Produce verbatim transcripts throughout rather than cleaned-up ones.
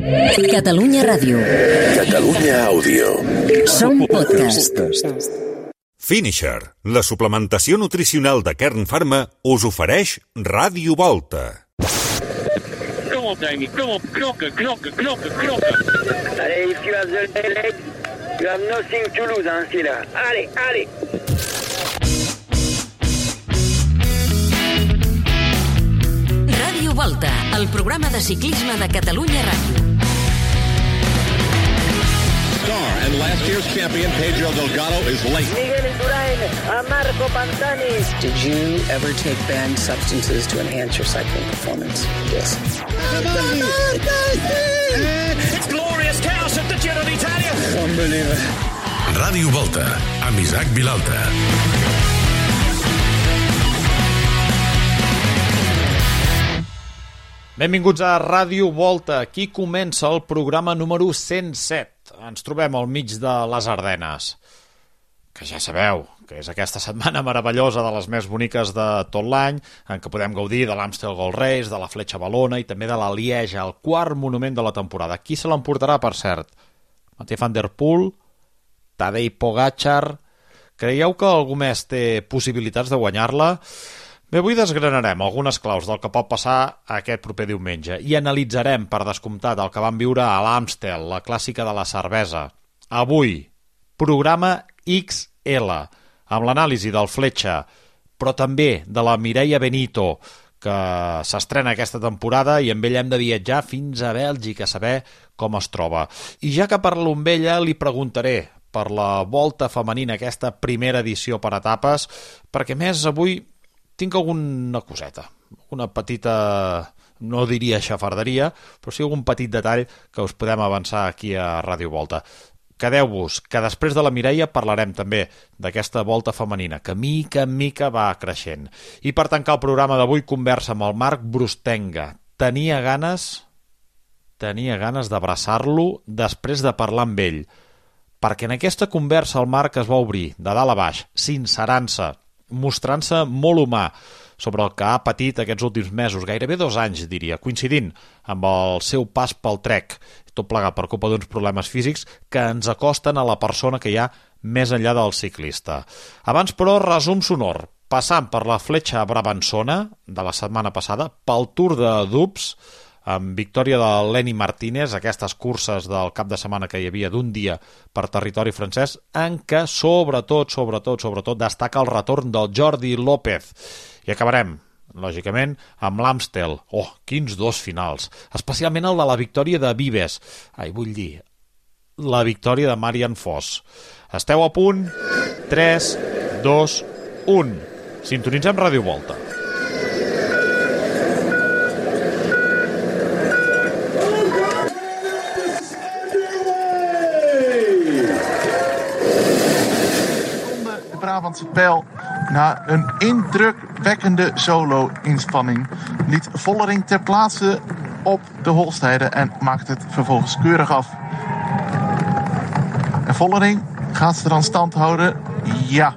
Catalunya Ràdio. Catalunya Àudio. Som podcast. Finisher, la suplementació nutricional de Kern Pharma, us ofereix Ràdio Volta. Kom op, Dani. Kom op. Knokken, knokken, knokken, knokken. Allez, if you have the leg, you have nothing to lose, hein, c'est là. Allez, allez. Ràdio Volta, el programa de ciclisme de Catalunya Ràdio. Star and last year's champion Pedro Delgado is late. Miguel Indurain, a Marco Pantani. Did you ever take banned substances to enhance your cycling performance? Yes. It's glorious chaos at the Giro d'Italia. Unbelievable. Ràdio Volta, amb Isaac Vilalta. Benvinguts a Ràdio Volta. Aquí comença el programa número cent set. Ens trobem al mig de les Ardenes, que ja sabeu que és aquesta setmana meravellosa, de les més boniques de tot l'any, en què podem gaudir de l'Amstel Gold Race, de la Fletxa Valona i també de la Lieja, el quart monument de la temporada. Qui se l'emportarà, per cert? Matej van der Poel? Tadej Pogačar? Creieu que algú més té possibilitats de guanyar-la? Bé, avui desgranarem algunes claus del que pot passar aquest proper diumenge i analitzarem, per descomptat, el que vam viure a l'Amstel, la clàssica de la cervesa. Avui, programa X L, amb l'anàlisi del Fletxa, però també de la Mireia Benito, que s'estrena aquesta temporada i amb ella hem de viatjar fins a Bèlgica a saber com es troba. I ja que parlo amb ella, li preguntaré per la Volta femenina, aquesta primera edició per etapes, perquè més avui tinc alguna coseta, una petita, no diria xafarderia, però sí algun petit detall que us podem avançar aquí a Ràdio Volta. Quedeu-vos, que després de la Mireia parlarem també d'aquesta Volta femenina, que mica en mica va creixent. I per tancar el programa d'avui, conversa amb el Marc Brustenga. Tenia ganes, tenia ganes d'abraçar-lo després de parlar amb ell, perquè en aquesta conversa el Marc es va obrir de dalt a baix, sincerant-se, mostrant-se molt humà sobre el que ha patit aquests últims mesos, gairebé dos anys, diria, coincidint amb el seu pas pel Trek, tot plegat per culpa d'uns problemes físics que ens acosten a la persona que hi ha més enllà del ciclista. Abans, però, resum sonor, passant per la Fletxa Brabançona de la setmana passada, pel Tour de Doubs, amb victòria de Lenny Martínez, aquestes curses del cap de setmana que hi havia d'un dia per territori francès, en què sobretot, sobretot, sobretot destaca el retorn del Jordi López. I acabarem, lògicament, amb l'Amstel. Oh, quins dos finals! Especialment el de la victòria de Vives. Ai, vull dir, la victòria de Marian Foss. Esteu a punt? tres, dos, u. Sintonitzem Ràdio Volta. Brabantse Pijl, na een indrukwekkende solo-inspanning, liet Vollering ter plaatse op de Holstijde en maakt het vervolgens keurig af. En Vollering gaat ze dan stand houden? Ja.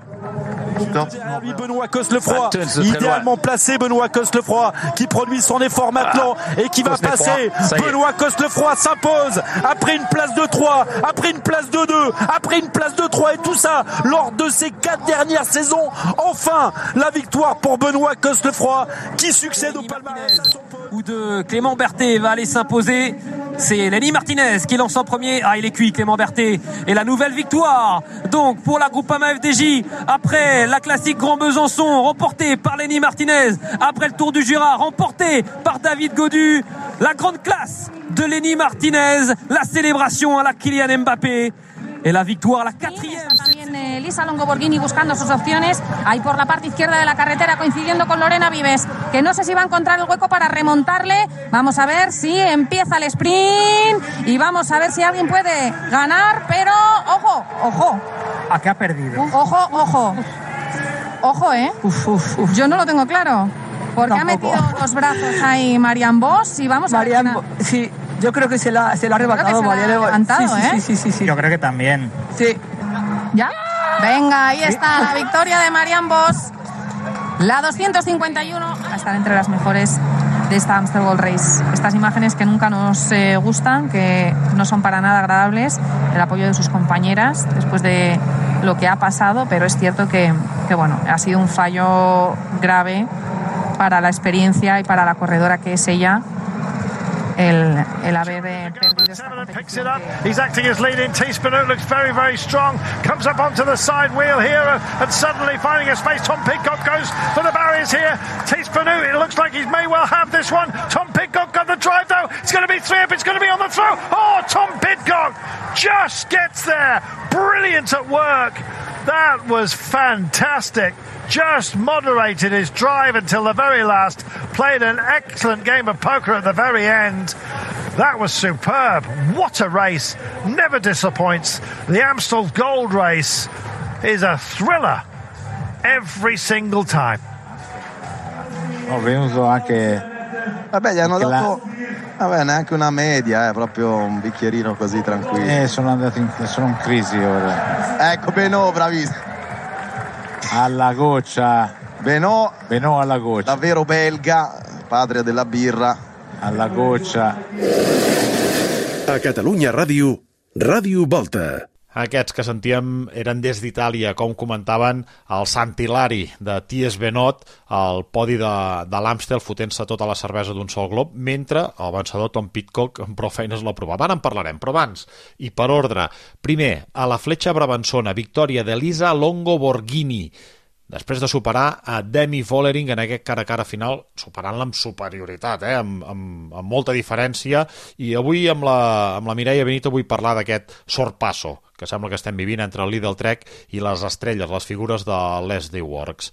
Dat Benoît Cosnefroy, idéalement placé, Benoît Cosnefroy qui produit son effort maintenant et qui va passer. Benoît Cosnefroy s'impose après une place de trois, après une place de deux, après une place de trois et tout ça lors de ces quatre dernières saisons. Enfin, la victoire pour Benoît Cosnefroy qui succède au palmarès ou de Clément Berthet va aller s'imposer. C'est Lenny Martinez qui lance en premier. Ah, il est cuit, Clément Berthet. Et la nouvelle victoire, donc, pour la Groupama F D J, après la classique Grand Besançon, remportée par Lenny Martinez, après le Tour du Jura, remporté par David Gaudu. La grande classe de Lenny Martinez, la célébration à la Kylian Mbappé. Et la victoire, la quatrième. También eh, Lisa Longo Borghini buscando sus opciones ahí por la parte izquierda de la carretera, coincidiendo con Lorena Vives, que no sé si va a encontrar el hueco para remontarle. Vamos a ver si empieza el sprint y vamos a ver si alguien puede ganar, pero ojo, ojo. ¿A qué ha perdido? Ojo, ojo. Ojo, ¿eh? Uf, uf, uf. Yo no lo tengo claro. Porque Tampoco. ha metido los brazos ahí Marianne Vos y vamos Marianne a ver. Bo- sí. Yo creo que se la, se la ha arrebatado Marianne Vos. levantado, sí, sí, ¿eh? sí, sí, sí, sí. Yo creo que también. Sí. ¿Ya? Venga, ahí está la victoria de Marianne Vos. La doscientos cincuenta y uno a estar entre las mejores de esta Amstel Gold Race. Estas imágenes que nunca nos eh, gustan, que no son para nada agradables, el apoyo de sus compañeras después de lo que ha pasado, pero es cierto que, que bueno, ha sido un fallo grave para la experiencia y para la corredora que es ella, el, el haber eh, perdido esta competición. He's acting as lead-in. Teaspoon looks very, very strong. Comes up onto the side wheel here and suddenly finding a space. Tom Pidcock goes for the barriers here. Teaspoon, it looks like he may well have this one. Tom Pidcock got the drive though. It's going to be three up. It's going to be on the throw. Oh, Tom Pidcock just gets there. Brilliant at work. That was fantastic. Just moderated his drive until the very last. Played an excellent game of poker at the very end. That was superb. What a race. Never disappoints. The Amstel Gold Race is a thriller every single time. Ho venuto anche... Vabbè, gli hanno anche dato... La... Vabbè, neanche una media, eh, proprio un bicchierino così tranquillo. Eh, sono andato in, sono in crisi ora. Ecco, Benot, bravissimo. Alla goccia. Benot. Benot alla goccia. Davvero belga, padre della birra. Alla goccia. A Catalunya Ràdio, Ràdio Volta. Aquests que sentíem eren des d'Itàlia, com comentaven el Sant'Hilari de T S Benot, al podi de, de l'Amstel, fotent-se tota la cervesa d'un sol glob, mentre el vencedor Tom Pidcock amb prou feines la provava. Ara en parlarem, però abans, i per ordre, primer, a la fletxa brabançona, victòria d'Elisa Longo Borghini, després de superar a Demi Vollering en aquest cara a cara final, superant-la amb superioritat, eh? amb, amb, amb molta diferència, i avui amb la, amb la Mireia Benito vull parlar d'aquest sorpasso que sembla que estem vivint entre el Lidl Trek i les estrelles, les figures de Leslie Works.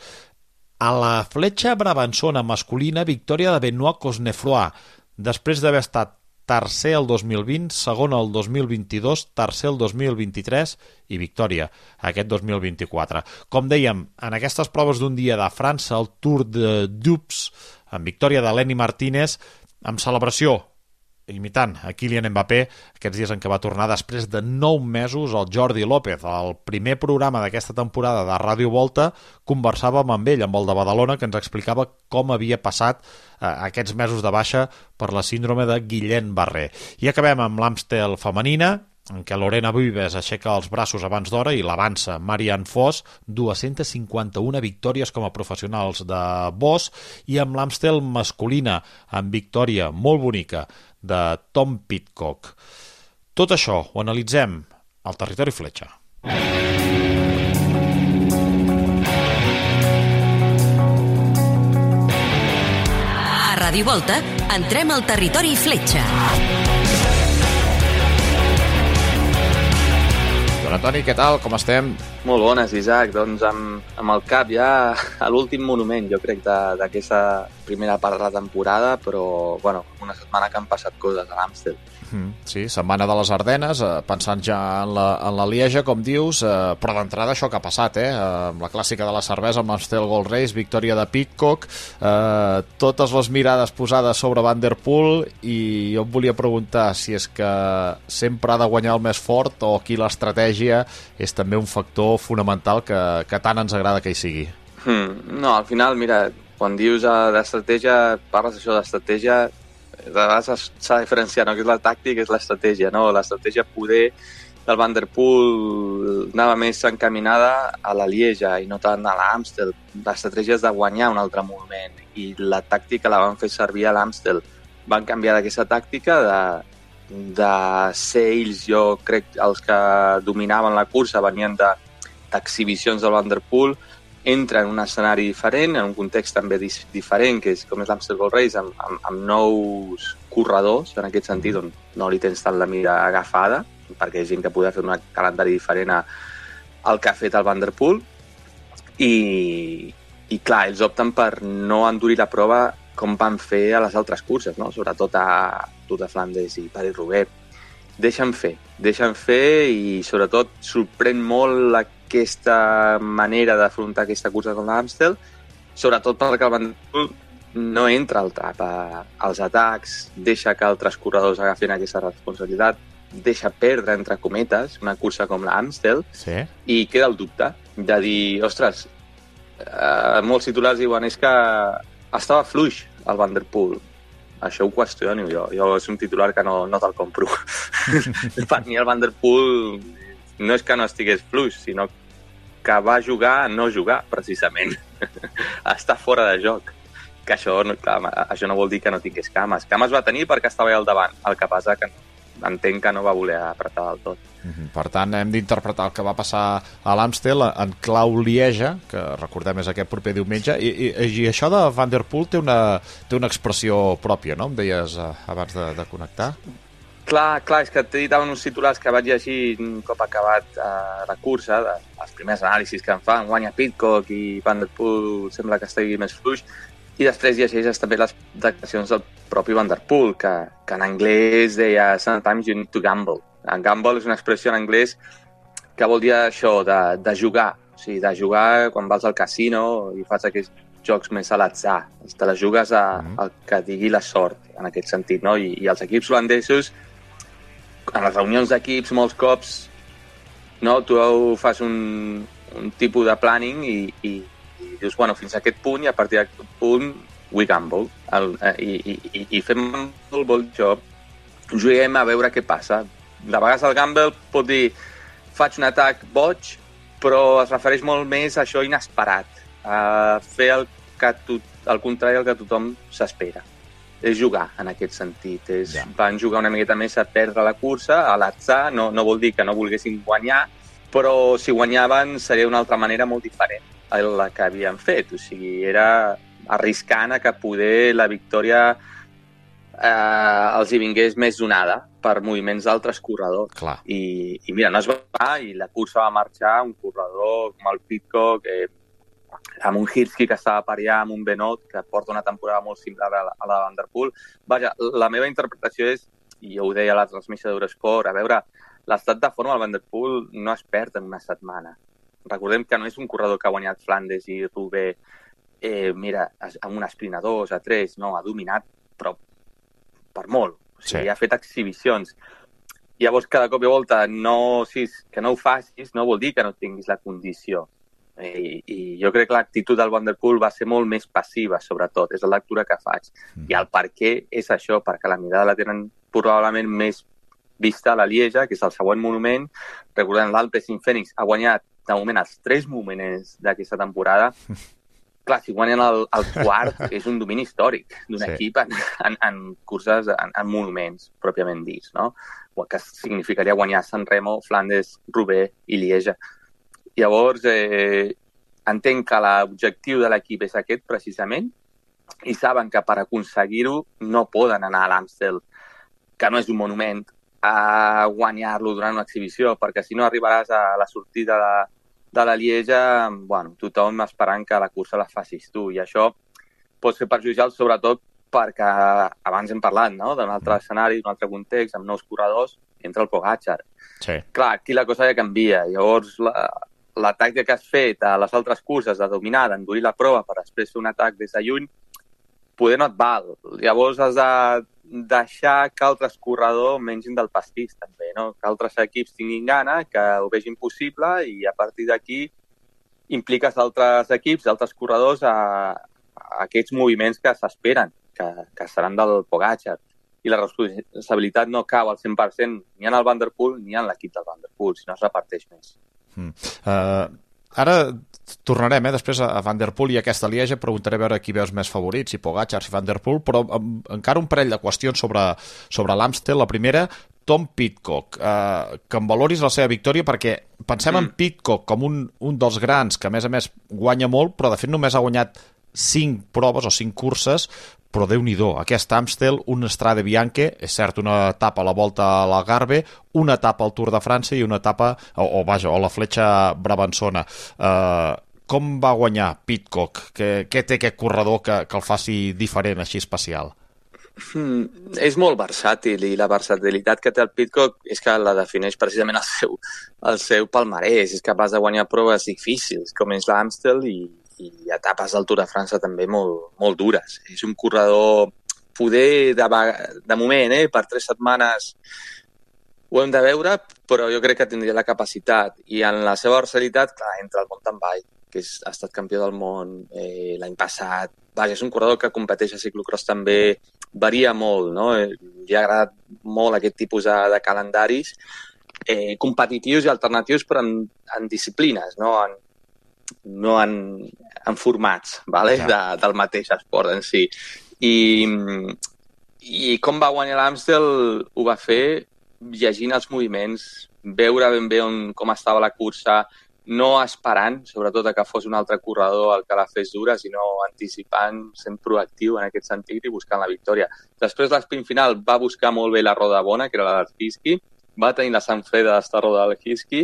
A la fletxa brabançona masculina, victòria de Benoît Cosnefroy, després d'haver estat tercer el dos mil vint, segon el dos mil vint-i-dos, tercer el dos mil vint-i-tres i victòria aquest dos mil vint-i-quatre. Com dèiem, en aquestes proves d'un dia de França, el Tour de Dupes, amb victòria de Lenny Martínez, amb celebració imitant a Kylian Mbappé, aquests dies en què va tornar després de nou mesos el Jordi López. Al primer programa d'aquesta temporada de Ràdio Volta conversàvem amb ell, amb el de Badalona, que ens explicava com havia passat eh, aquests mesos de baixa per la síndrome de Guillain-Barré. I acabem amb l'Amstel femenina, en què Lorena Vives aixeca els braços abans d'hora i l'avança Marianne Foss, dues-centes cinquanta-una victòries com a professionals de Boss, i amb l'Amstel masculina, amb victòria molt bonica de Tom Pidcock. Tot això ho analitzem al Territori Fletxa. A Ràdio Volta entrem al Territori Fletxa. Don Antoni, què tal? Com estem? Molt bones, Isaac. Doncs amb, amb el cap ja a l'últim monument, jo crec, d'aquesta primera part de la temporada, però, bueno, una setmana que han passat coses a l'Amstel. Sí, setmana de les Ardenes, eh, pensant ja en la, en la Lieja, com dius, eh, però d'entrada això que ha passat, eh? Amb la clàssica de la cervesa, amb l'Amstel Gold Race, victòria de Pidcock, eh, totes les mirades posades sobre Van der Poel, i jo em volia preguntar si és que sempre ha de guanyar el més fort o aquí l'estratègia és també un factor fonamental que, que tant ens agrada que hi sigui. Hmm, no, al final, mira, quan dius uh, d'estratègia, parles això d'estratègia, de vegades s'ha de diferenciar, no? Que és la tàctica, és l'estratègia, no? L'estratègia poder del Van der Poel anava més encaminada a la Lieja i no tant a l'Amstel. L'estratègia és de guanyar un altre moment i la tàctica la van fer servir a l'Amstel. Van canviar d'aquesta tàctica de, de ser ells, jo crec, els que dominaven la cursa, venien de, d'exhibicions del Van der Poel, entra en un escenari diferent, en un context també diferent, que és com és l'Amstel Gold Race, amb, amb, amb nous corredors, en aquest sentit, on no li tens tant la mira agafada, perquè hi ha gent que podia fer un calendari diferent a, al que ha fet el Van der Poel, i, i clar, ells opten per no endurir la prova com van fer a les altres curses, no? Sobretot a Tour de Flandes i Paris-Roubaix. Deixen fer, deixen fer i sobretot sorprèn molt aquesta manera d'afrontar aquesta cursa com l'Amstel, sobretot perquè el Van der Poel no entra al trap als atacs, deixa que altres corredors agafin aquesta responsabilitat, deixa perdre, entre cometes, una cursa com l'Amstel, sí. I queda el dubte de dir, ostres, eh, molts titulars diuen és que estava fluix el Van der Poel. això ho qüestiono jo. Jo és un titular que no, no te'l compro. Per mi el Van der Poel no és que no estigués fluix, sinó que va jugar a no jugar, precisament. Està fora de joc. Que això, clar, això no vol dir que no tingués cames. Cames va tenir perquè estava al davant. El que passa que entenc que no va voler apretar del tot. Per tant, hem d'interpretar el que va passar a l'Amstel en clau Lieja, que recordem és aquest proper diumenge, i, i, i això de Van der Poel té una, té una expressió pròpia, no? Em deies eh, abans de, de connectar. Clar, clar, és que t'he dit uns titulars que vaig llegir un cop acabat eh, la cursa, de, els primers anàlisis que en fan, guanya Pidcock i Van der Poel sembla que estigui més fluix, i després llegeixes també les declaracions del propi Van der Poel, que, que en anglès deia "Sometimes you need to gamble". En gamble és una expressió en anglès que vol dir això, de, de jugar. O sigui, de jugar quan vas al casino i fas aquests jocs més a l'atzar. Te la jugues a, al que digui la sort, en aquest sentit, no? I, i els equips holandesos, en les reunions d'equips, molts cops, no? Tu fas un, un tipus de planning i, i, i dius, bueno, fins a aquest punt, i a partir d'aquest punt, we gamble. El, i, i, I fem molt bon joc. Juguem a veure què passa. De vegades el gamble pot dir faig un atac boig, però es refereix molt més a això inesperat, a fer el, que tu, el contrari al que tothom s'espera. És jugar, en aquest sentit. És, ja. Van jugar una miqueta més a perdre la cursa, a l'atzar, no, no vol dir que no volguessin guanyar, però si guanyaven seria d'una altra manera molt diferent a la que havien fet. O sigui, era arriscant a que poder la victòria eh, els hi vingués més donada per moviments d'altres corredors. Clar. I, I mira, no es va, i la cursa va marxar un corredor com el Pidcock, eh, amb un Hirschi que estava per allà, amb un Benoit, que porta una temporada molt similar a la, a la de Van der Poel. Vaja, la meva interpretació és, i jo ho deia a la transmissió d'Eurosport, a veure, l'estat de forma del Van der Poel no es perd en una setmana. Recordem que no és un corredor que ha guanyat Flandes i Roubaix, eh, mira, amb un sprint a dos, a tres, no, ha dominat, però per molt. O sigui, sí. Ha fet exhibicions. Llavors, cada cop i volta, no, si, que no ho facis, no vol dir que no tinguis la condició. I, i jo crec que l'actitud del Van der Poel va ser molt més passiva, sobretot. És la lectura que faig. Mm. I el per què és això, perquè la mirada la tenen probablement més vista a la Lieja, que és el següent monument. Recordem, l'Alpecin Fènix ha guanyat, de moment, els tres moments d'aquesta temporada. Clar, si guanyen el, el quart, és un domini històric d'un sí. equip en, en, en curses, en, en monuments, pròpiament dits, no? O que significaria guanyar San Remo, Flandes, Roubaix i Lieja. Llavors, eh, entenc que l'objectiu de l'equip és aquest, precisament, i saben que per aconseguir-ho no poden anar a l'Amstel, que no és un monument, a guanyar-lo durant una exhibició, perquè si no arribaràs a la sortida de, de la Lieja, bueno, tothom esperant que la cursa la facis tu, i això pot ser perjudicial, sobretot perquè abans hem parlat, no?, d'un altre escenari, d'un altre context, amb nous corredors, entre el Pogačar. Sí. Clar, aquí la cosa ja canvia. Llavors, la, l'atac que has fet a les altres curses de dominar, d'endurir la prova per després fer un atac des de lluny, poder no et val. Llavors has de deixar que altres corredors mengin del pastís, també, no? Que altres equips tinguin gana, que ho vegin possible, i a partir d'aquí impliques altres equips, altres corredors a, a aquests moviments que s'esperen, que, que seran del Pogačar. I la responsabilitat no cau al cent per cent ni en el Van der Poel ni en l'equip del Van der Poel, sinó es reparteix més. Mm. Uh, ara tornarem eh, després a Van der Poel i aquesta Lieja, preguntaré a veure qui veus més favorits, si Pogačar, si Van der Poel, però um, encara un parell de qüestions sobre, sobre l'Amstel. La primera, Tom Pidcock, uh, que em valoris la seva victòria, perquè pensem mm. en Pidcock com un, un dels grans que a més a més guanya molt, però de fet només ha guanyat cinc proves o cinc curses, però Déu-n'hi-do, aquest Amstel, un Strade Bianche, és cert, una etapa a la Volta a l'Algarve, una etapa al Tour de França i una etapa, o, o vaja, o la Fletxa Brabançona. Uh, com va guanyar Pidcock? Què, què té aquest corredor que, que el faci diferent, així especial? Mm, és molt versàtil, i la versatilitat que té el Pidcock és que la defineix precisament el seu, el seu palmarès. És capaç de guanyar proves difícils, com és l'Amstel, i i etapes del Tour de França també molt, molt dures. És un corredor poder de, de moment, eh, per tres setmanes ho hem de veure, però jo crec que tindria la capacitat. I en la seva versatilitat, clar, entra el mountain bike, que és, ha estat campió del món eh, l'any passat. Vaja, és un corredor que competeix a ciclocross també, varia molt, no? Li ha agradat molt aquest tipus de, de calendaris eh, competitius i alternatius, però en, en disciplines, no en, no en, en formats, vale? Ja. De, del mateix esport en si. I, i com va guanyar l'Amstel ho va fer llegint els moviments, veure ben bé on, com estava la cursa, no esperant, sobretot, que fos un altre corredor el que la fes dura, sinó anticipant, sent proactiu en aquest sentit i buscant la victòria. Després, l'esprint final va buscar molt bé la roda bona, que era la del Hirschi, va tenir la sang freda d'estar roda del Hirschi,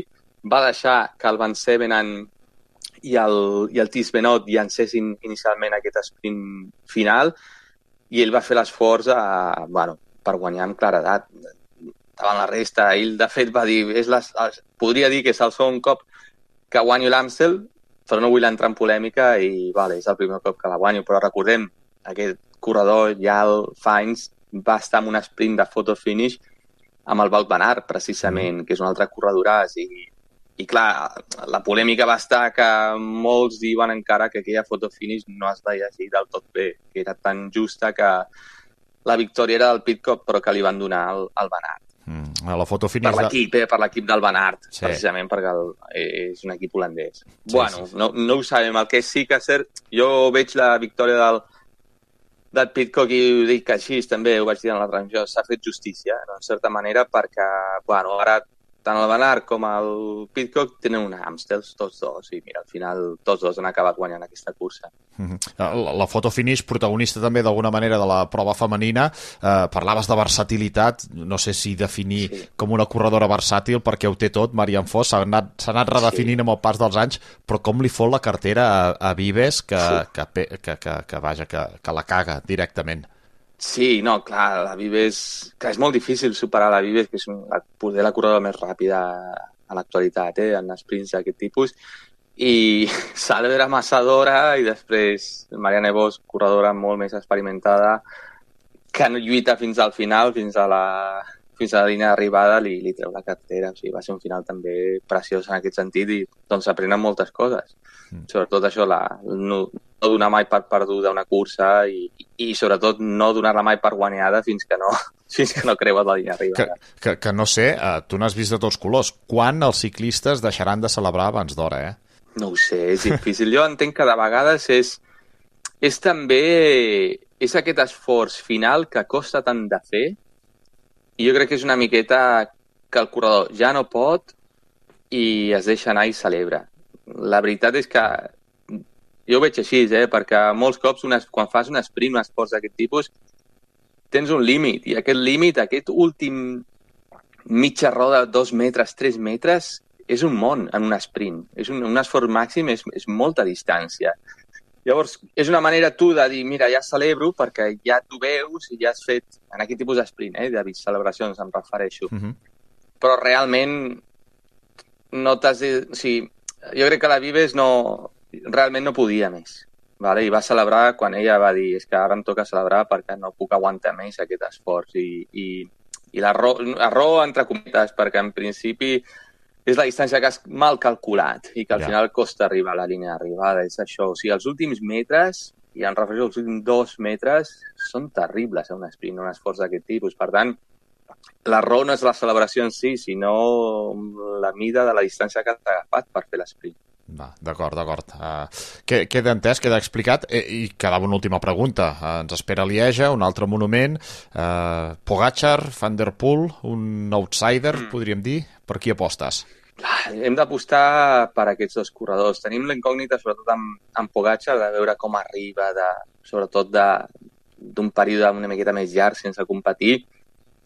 va deixar que el Van Sevenen i el, i el Tiesj Benoot llancessin inicialment aquest sprint final i ell va fer l'esforç a, bueno, per guanyar amb claredat davant la resta. Ell, de fet, va dir, és les, podria dir que és el segon cop que guanyo l'Amstel, però no vull entrar en polèmica i vale, és el primer cop que la guanyo, però recordem, aquest corredor, Jal Fines, va estar en un sprint de photo finish amb el Wout van Aert, precisament, mm. que és un altre corredoràs, i, i clar, la polèmica va estar que molts diuen encara que aquella photo finish no es veia així del tot bé, que era tan justa que la victòria era del Pidcock, però que li van donar al, al Van Aert. Mm, a la foto finish per l'equip, eh, per l'equip del Van Aert, sí. precisament perquè el, és un equip holandès. Sí, bueno, sí. No, no ho sabem. El que sí que és cert, jo veig la victòria del, del Pidcock i ho dic així, també ho vaig dir en la transmissió, s'ha fet justícia, no? En certa manera, perquè bueno, ara tant el Van Aert com el Pidcock tenen una Amstel, tots dos, i mira, al final tots dos han acabat guanyant aquesta cursa. Mm-hmm. La, la foto finish, protagonista també d'alguna manera de la prova femenina, eh, parlaves de versatilitat, no sé si definir sí. com una corredora versàtil, perquè ho té tot, Marianne Vos, s'ha anat, s'ha anat redefinint sí. amb el pas dels anys, però com li fot la cartera a, a Vives, que, sí. que, que, que, que, vaja, que, que la caga directament. Sí, no, clar, la Vives... Clar, és molt difícil superar la Vives, que és la, poder la corredora més ràpida a l'actualitat, eh, en sprints d'aquest tipus. I Salve era amassadora i després Marianne Vos, corredora molt més experimentada, que no lluita fins al final, fins a la, fins a la línia d'arribada, li, li treu la cartera. O sigui, va ser un final també preciós en aquest sentit i doncs s'aprenen moltes coses. Mm. Sobretot això, la, no, no donar mai per perduda una cursa i, i sobretot no donar-la mai per guanyada fins que no, fins que no creues la línia d'arribada. Que, que, que no sé, uh, tu n'has vist de tots colors. Quan els ciclistes deixaran de celebrar abans d'hora, eh? No ho sé, és difícil. Jo entenc que de vegades és, és també és aquest esforç final que costa tant de fer i jo crec que és una miqueta que el corredor ja no pot i es deixa anar i celebra. La veritat és que jo ho veig així, eh? Perquè molts cops una, quan fas un sprint, un esport d'aquest tipus, tens un límit i aquest límit, aquest últim mitja roda, dos metres, tres metres, és un món en un sprint. És un, un esforç màxim, és, és molta distància. Llavors, és una manera tu de dir, mira, ja celebro perquè ja t'ho veus i ja has fet, en aquest tipus d'sprint, eh, de celebracions em refereixo. Uh-huh. Però realment no t'has de... O sigui, jo crec que la Vives no, realment no podia més. Vale? I va celebrar quan ella va dir és que ara em toca celebrar perquè no puc aguantar més aquest esforç. I, i, i l'error, error entre cometes, perquè en principi és la distància que has mal calculat i que al ja. final costa arribar a la línia d'arribada. És això. O sigui, els últims metres, i em refereixo als últims dos metres, són terribles a un sprint, un esforç d'aquest tipus. Per tant, l'error no és la celebració en si, sinó la mida de la distància que has agafat per fer l'esprint. Va, d'acord, d'acord. Uh, queda entès, queda explicat. Eh, I quedava una última pregunta. Uh, ens espera Lieja, un altre monument. Uh, Pogačar, Van der Poel, un outsider, mm. podríem dir. Per qui apostes? Hem d'apostar per aquests dos corredors. Tenim la incògnita, sobretot amb, amb Pogačar, de veure com arriba, de, sobretot d'un període una miqueta més llarg sense competir.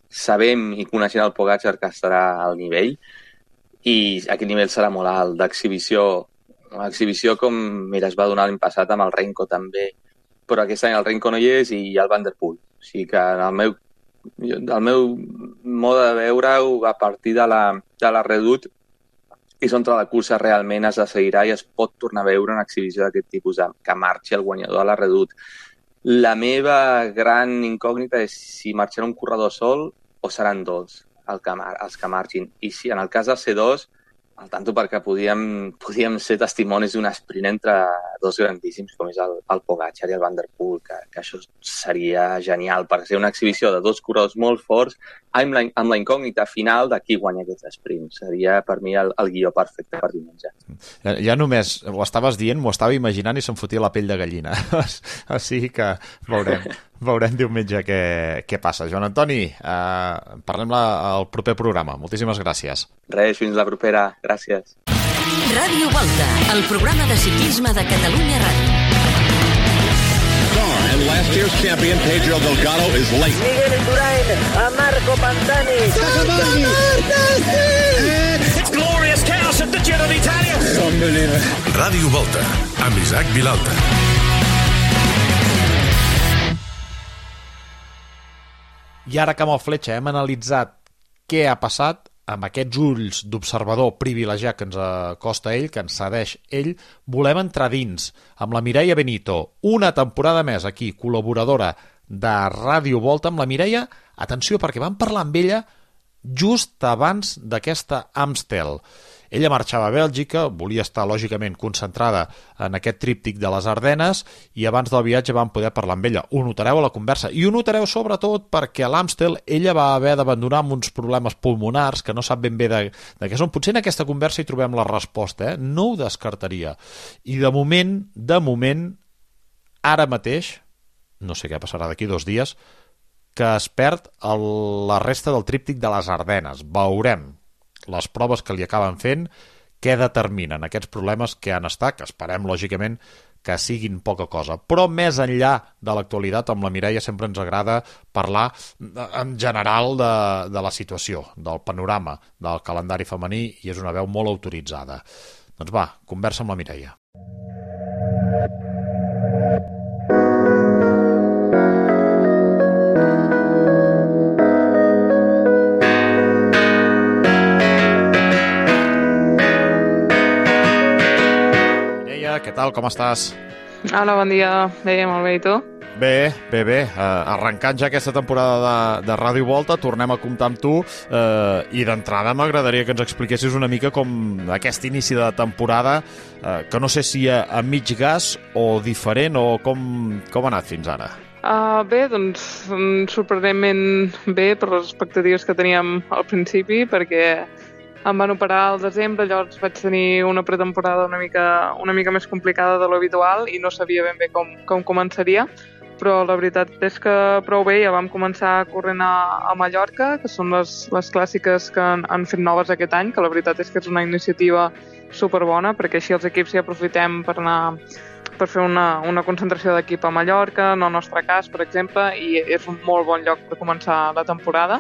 Sabem i coneixent el Pogačar que estarà al nivell i aquest nivell serà molt alt d'exhibició. Exhibició com, mira, es va donar l'any passat amb el Renko també, però aquest any el Renko no hi és i hi ha el Van der Poel. O sigui que en el meu, el meu mode de veure-ho a partir de la, de la Redoute és on la cursa realment es decidirà i es pot tornar a veure una exhibició d'aquest tipus, que marxi el guanyador a la Redoute. La meva gran incògnita és si marxarà un corredor sol o seran dos el que, els que marxin. I si en el cas del C dos, al tanto perquè podíem, podíem ser testimonis d'un sprint entre dos grandíssims com és el, el Pogacar i el Van der Poel, que, que això seria genial per ser una exhibició de dos corredors molt forts amb la, amb la incògnita final de qui guanya aquest sprint. Seria per mi el, el guió perfecte per diumenge. Ja, ja només ho estaves dient, m'ho estava imaginant i se'm fotia la pell de gallina. O sigui que veurem, veurem diumenge què, què passa. Joan Antoni, eh, parlem la, al proper programa. Moltíssimes gràcies. Res, fins la propera. Gràcies. Ràdio Volta, el programa de ciclisme de Catalunya Ràdio. And last year's champion Pedro Delgado is late. Miguel Indurain a Marco Pantani. It's glorious chaos at the Giro d'Italia. Unbelievable. Ràdio Volta, amb Isaac Vilalta. I ara que amb el Fletxa hem analitzat què ha passat, amb aquests ulls d'observador privilegiat que ens acosta ell, que ens cedeix ell, volem entrar dins amb la Mireia Benito, una temporada més aquí, col·laboradora de Ràdio Volta. Amb la Mireia, atenció, perquè vam parlar amb ella just abans d'aquesta Amstel. Ella marxava a Bèlgica, volia estar lògicament concentrada en aquest tríptic de les Ardenes i abans del viatge vam poder parlar amb ella. Ho notareu a la conversa i ho notareu sobretot perquè a l'Amstel ella va haver d'abandonar amb uns problemes pulmonars que no sap ben bé de, de què són. Potser en aquesta conversa hi trobem la resposta, eh? No ho descartaria. I de moment, de moment, ara mateix, no sé què passarà d'aquí dos dies, que es perd el, la resta del tríptic de les Ardenes. Veurem les proves que li acaben fent, què determinen aquests problemes que han estat, que esperem, lògicament, que siguin poca cosa. Però més enllà de l'actualitat, amb la Mireia sempre ens agrada parlar en general de, de la situació, del panorama, del calendari femení, i és una veu molt autoritzada. Doncs va, conversa amb la Mireia. Què tal, com estàs? Hola, bon dia. Bé, molt bé, i tu? Bé, bé, bé. Uh, arrencant ja aquesta temporada de, de Ràdio Volta, tornem a comptar amb tu uh, i d'entrada m'agradaria que ens expliquessis una mica com aquest inici de temporada, uh, que no sé si a, a mig gas o diferent o com, com ha anat fins ara. Uh, bé, doncs sorprenentment bé per les expectatives que teníem al principi, perquè em van operar al desembre, llavors vaig tenir una pretemporada una mica, una mica més complicada de l'habitual i no sabia ben bé com, com començaria, però la veritat és que prou bé. Ja vam començar corrent a, a Mallorca, que són les, les clàssiques que han, han fet noves aquest any, que la veritat és que és una iniciativa superbona, perquè així els equips ja aprofitem per anar per fer una, una concentració d'equip a Mallorca, en el nostre cas, per exemple, i és un molt bon lloc per començar la temporada.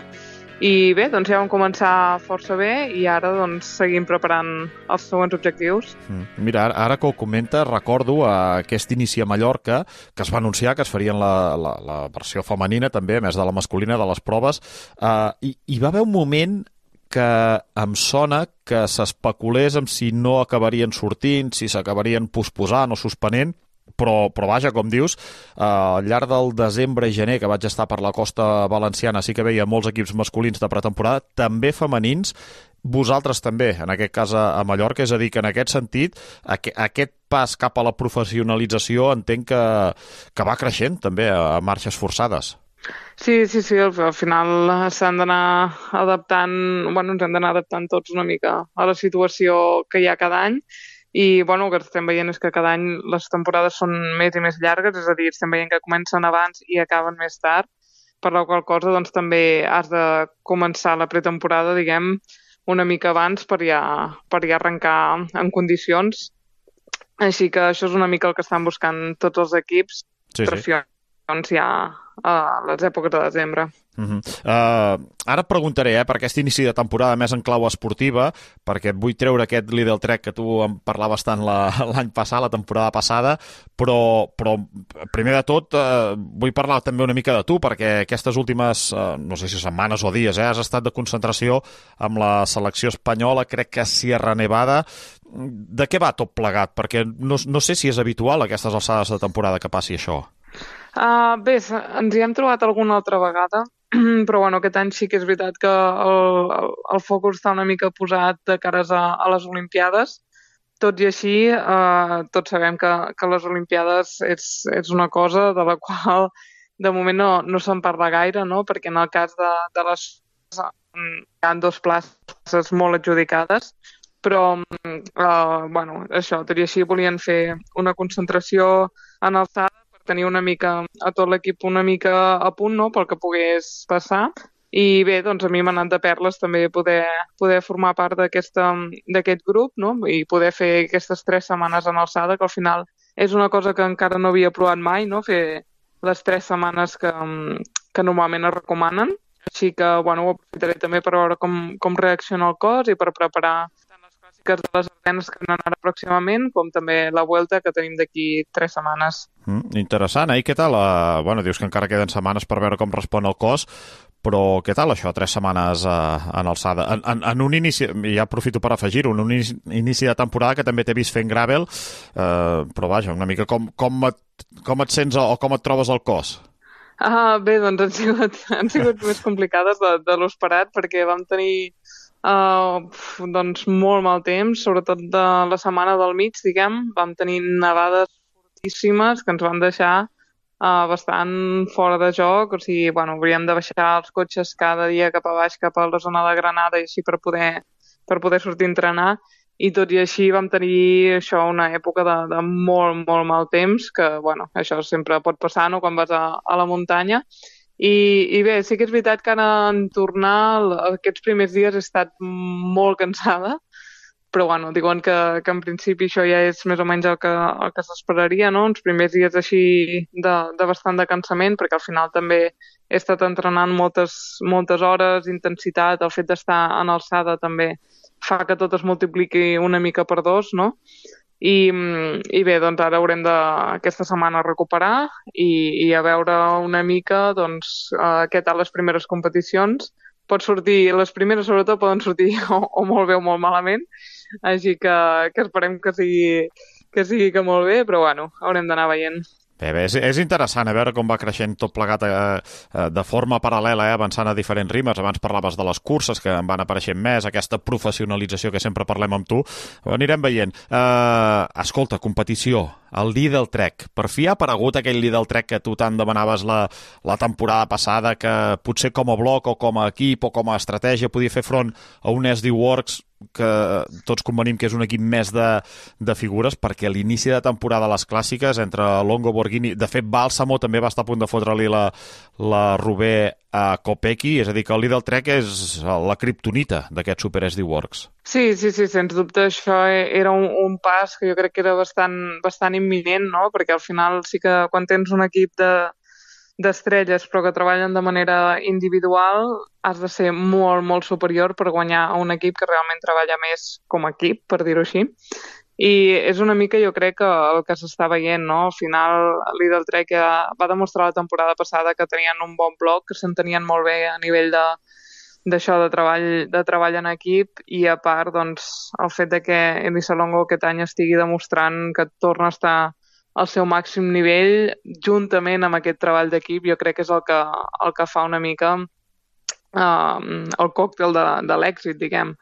I bé, doncs ja vam començar força bé i ara doncs seguim preparant els següents objectius. Mm. Mira, ara, ara que ho comenta, recordo aquest inici a Mallorca, que es va anunciar que es farien la, la, la versió femenina també, a més de la masculina, de les proves, uh, i hi va haver un moment que em sona que s'especulés amb si no acabarien sortint, si s'acabarien posposant o suspenent, però, però vaja, com dius, eh, al llarg del desembre i gener que vaig estar per la costa valenciana sí que veia molts equips masculins de pretemporada, també femenins, vosaltres també, en aquest cas a Mallorca, és a dir, que en aquest sentit aqu aquest pas cap a la professionalització entenc que, que va creixent també a marxes forçades. Sí, sí, sí, al, al final s'han d'anar adaptant, bueno, ens hem d'anar adaptant tots una mica a la situació que hi ha cada any. I bueno, el que estem veient és que cada any les temporades són més i més llargues, és a dir, estem veient que comencen abans i acaben més tard, per la qual cosa doncs, també has de començar la pretemporada, diguem, una mica abans per ja, per ja arrencar en condicions. Així que això és una mica el que estan buscant tots els equips, sí, pressions sí. ja a les èpoques de desembre. Uh -huh. uh, ara et preguntaré eh, per aquest inici de temporada més en clau esportiva, perquè et vull treure aquest Lidl Trek que tu en parlaves tant l'any passat, la temporada passada, però, però primer de tot uh, vull parlar també una mica de tu, perquè aquestes últimes, uh, no sé si setmanes o dies, eh, has estat de concentració amb la selecció espanyola, crec que a Sierra Nevada. De què va tot plegat? Perquè no, no sé si és habitual a aquestes alçades de temporada que passi això. Uh, bé, ens hi hem trobat alguna altra vegada, però bueno, aquest any sí que és veritat que el, el el focus està una mica posat de cares a, a les Olimpiades. Tot i així, eh, tots sabem que, que les Olimpiades és, és una cosa de la qual de moment no, no se'n parla gaire, no? Perquè en el cas de, de les hi ha dos places molt adjudicades, però eh, bueno, això, tot i així volien fer una concentració en alçada per tenir una mica a tot l'equip una mica a punt, no?, pel que pogués passar. I bé, doncs a mi m'ha anat de perles també poder, poder formar part d'aquest grup, no?, i poder fer aquestes tres setmanes en alçada, que al final és una cosa que encara no havia provat mai, no?, fer les tres setmanes que, que normalment es recomanen. Així que, bueno, ho aprofitaré també per veure com, com reacciona el cos i per preparar tant les clàssiques de les Ardenes que anen ara pròximament, com també la Vuelta que tenim d'aquí tres setmanes. Mm, interessant, eh? I què tal? Uh, bueno, dius que encara queden setmanes per veure com respon el cos, però què tal això, tres setmanes uh, en alçada? En, en, en un inici, ja aprofito per afegir-ho, en un inici, inici de temporada que també t'he vist fent gravel, uh, però vaja, una mica com, com, et, com et sents o com et trobes al cos? Ah, bé, doncs han sigut, han sigut més complicades de, de l'esperat, perquè vam tenir uh, doncs molt mal temps, sobretot de la setmana del mig, diguem. Vam tenir nevades fortíssimes que ens van deixar uh, bastant fora de joc, o sigui, bueno, hauríem de baixar els cotxes cada dia cap a baix, cap a la zona de Granada, i així per poder, per poder sortir a entrenar. I tot i així vam tenir això, una època de, de molt, molt mal temps, que, bueno, això sempre pot passar, no?, quan vas a, a la muntanya. I, I bé, sí que és veritat que ara en tornar aquests primers dies he estat molt cansada, però, bueno, diuen que, que en principi això ja és més o menys el que, el que s'esperaria, no?, uns primers dies així de, de bastant de cansament, perquè al final també he estat entrenant moltes, moltes hores, intensitat, el fet d'estar en alçada també fa que tot es multipliqui una mica per dos, no? I, i bé, doncs ara haurem de aquesta setmana recuperar i, i a veure una mica doncs, uh, què tal les primeres competicions. Pot sortir, les primeres sobretot poden sortir o, o molt bé o molt malament, així que, que esperem que sigui, que sigui que molt bé, però bueno, haurem d'anar veient. Bé, bé, és, és interessant a veure com va creixent tot plegat eh, eh, de forma paral·lela, eh, avançant a diferents ritmes. Abans parlaves de les curses que en van apareixent més, aquesta professionalització que sempre parlem amb tu. Ho anirem veient. Eh, escolta, competició, el Lidl Trek. Per fi ha aparegut aquell Lidl Trek que tu tant demanaves la, la temporada passada, que potser com a bloc o com a equip o com a estratègia podia fer front a un S D Works que tots convenim que és un equip més de, de figures, perquè a l'inici de temporada les clàssiques entre Longo, Borghini, de fet Bàlsamo també va estar a punt de fotre-li la, la Roubaix a Kopecky, és a dir que el Lidl Trek és la kriptonita d'aquest Super S D Works. Sí, sí, sí, sens dubte això era un, un pas que jo crec que era bastant, bastant imminent, no?, perquè al final sí que quan tens un equip de d'estrelles però que treballen de manera individual has de ser molt, molt superior per guanyar a un equip que realment treballa més com a equip, per dir-ho així. I és una mica, jo crec, que el que s'està veient, no? Al final, Lidl Trek ja va demostrar la temporada passada que tenien un bon bloc, que s'entenien molt bé a nivell de d'això de treball, de treball en equip, i a part, doncs, el fet de que Elisa Longo aquest any estigui demostrant que torna a estar al seu màxim nivell, juntament amb aquest treball d'equip, jo crec que és el que, el que fa una mica uh, el còctel de, de l'èxit, diguem.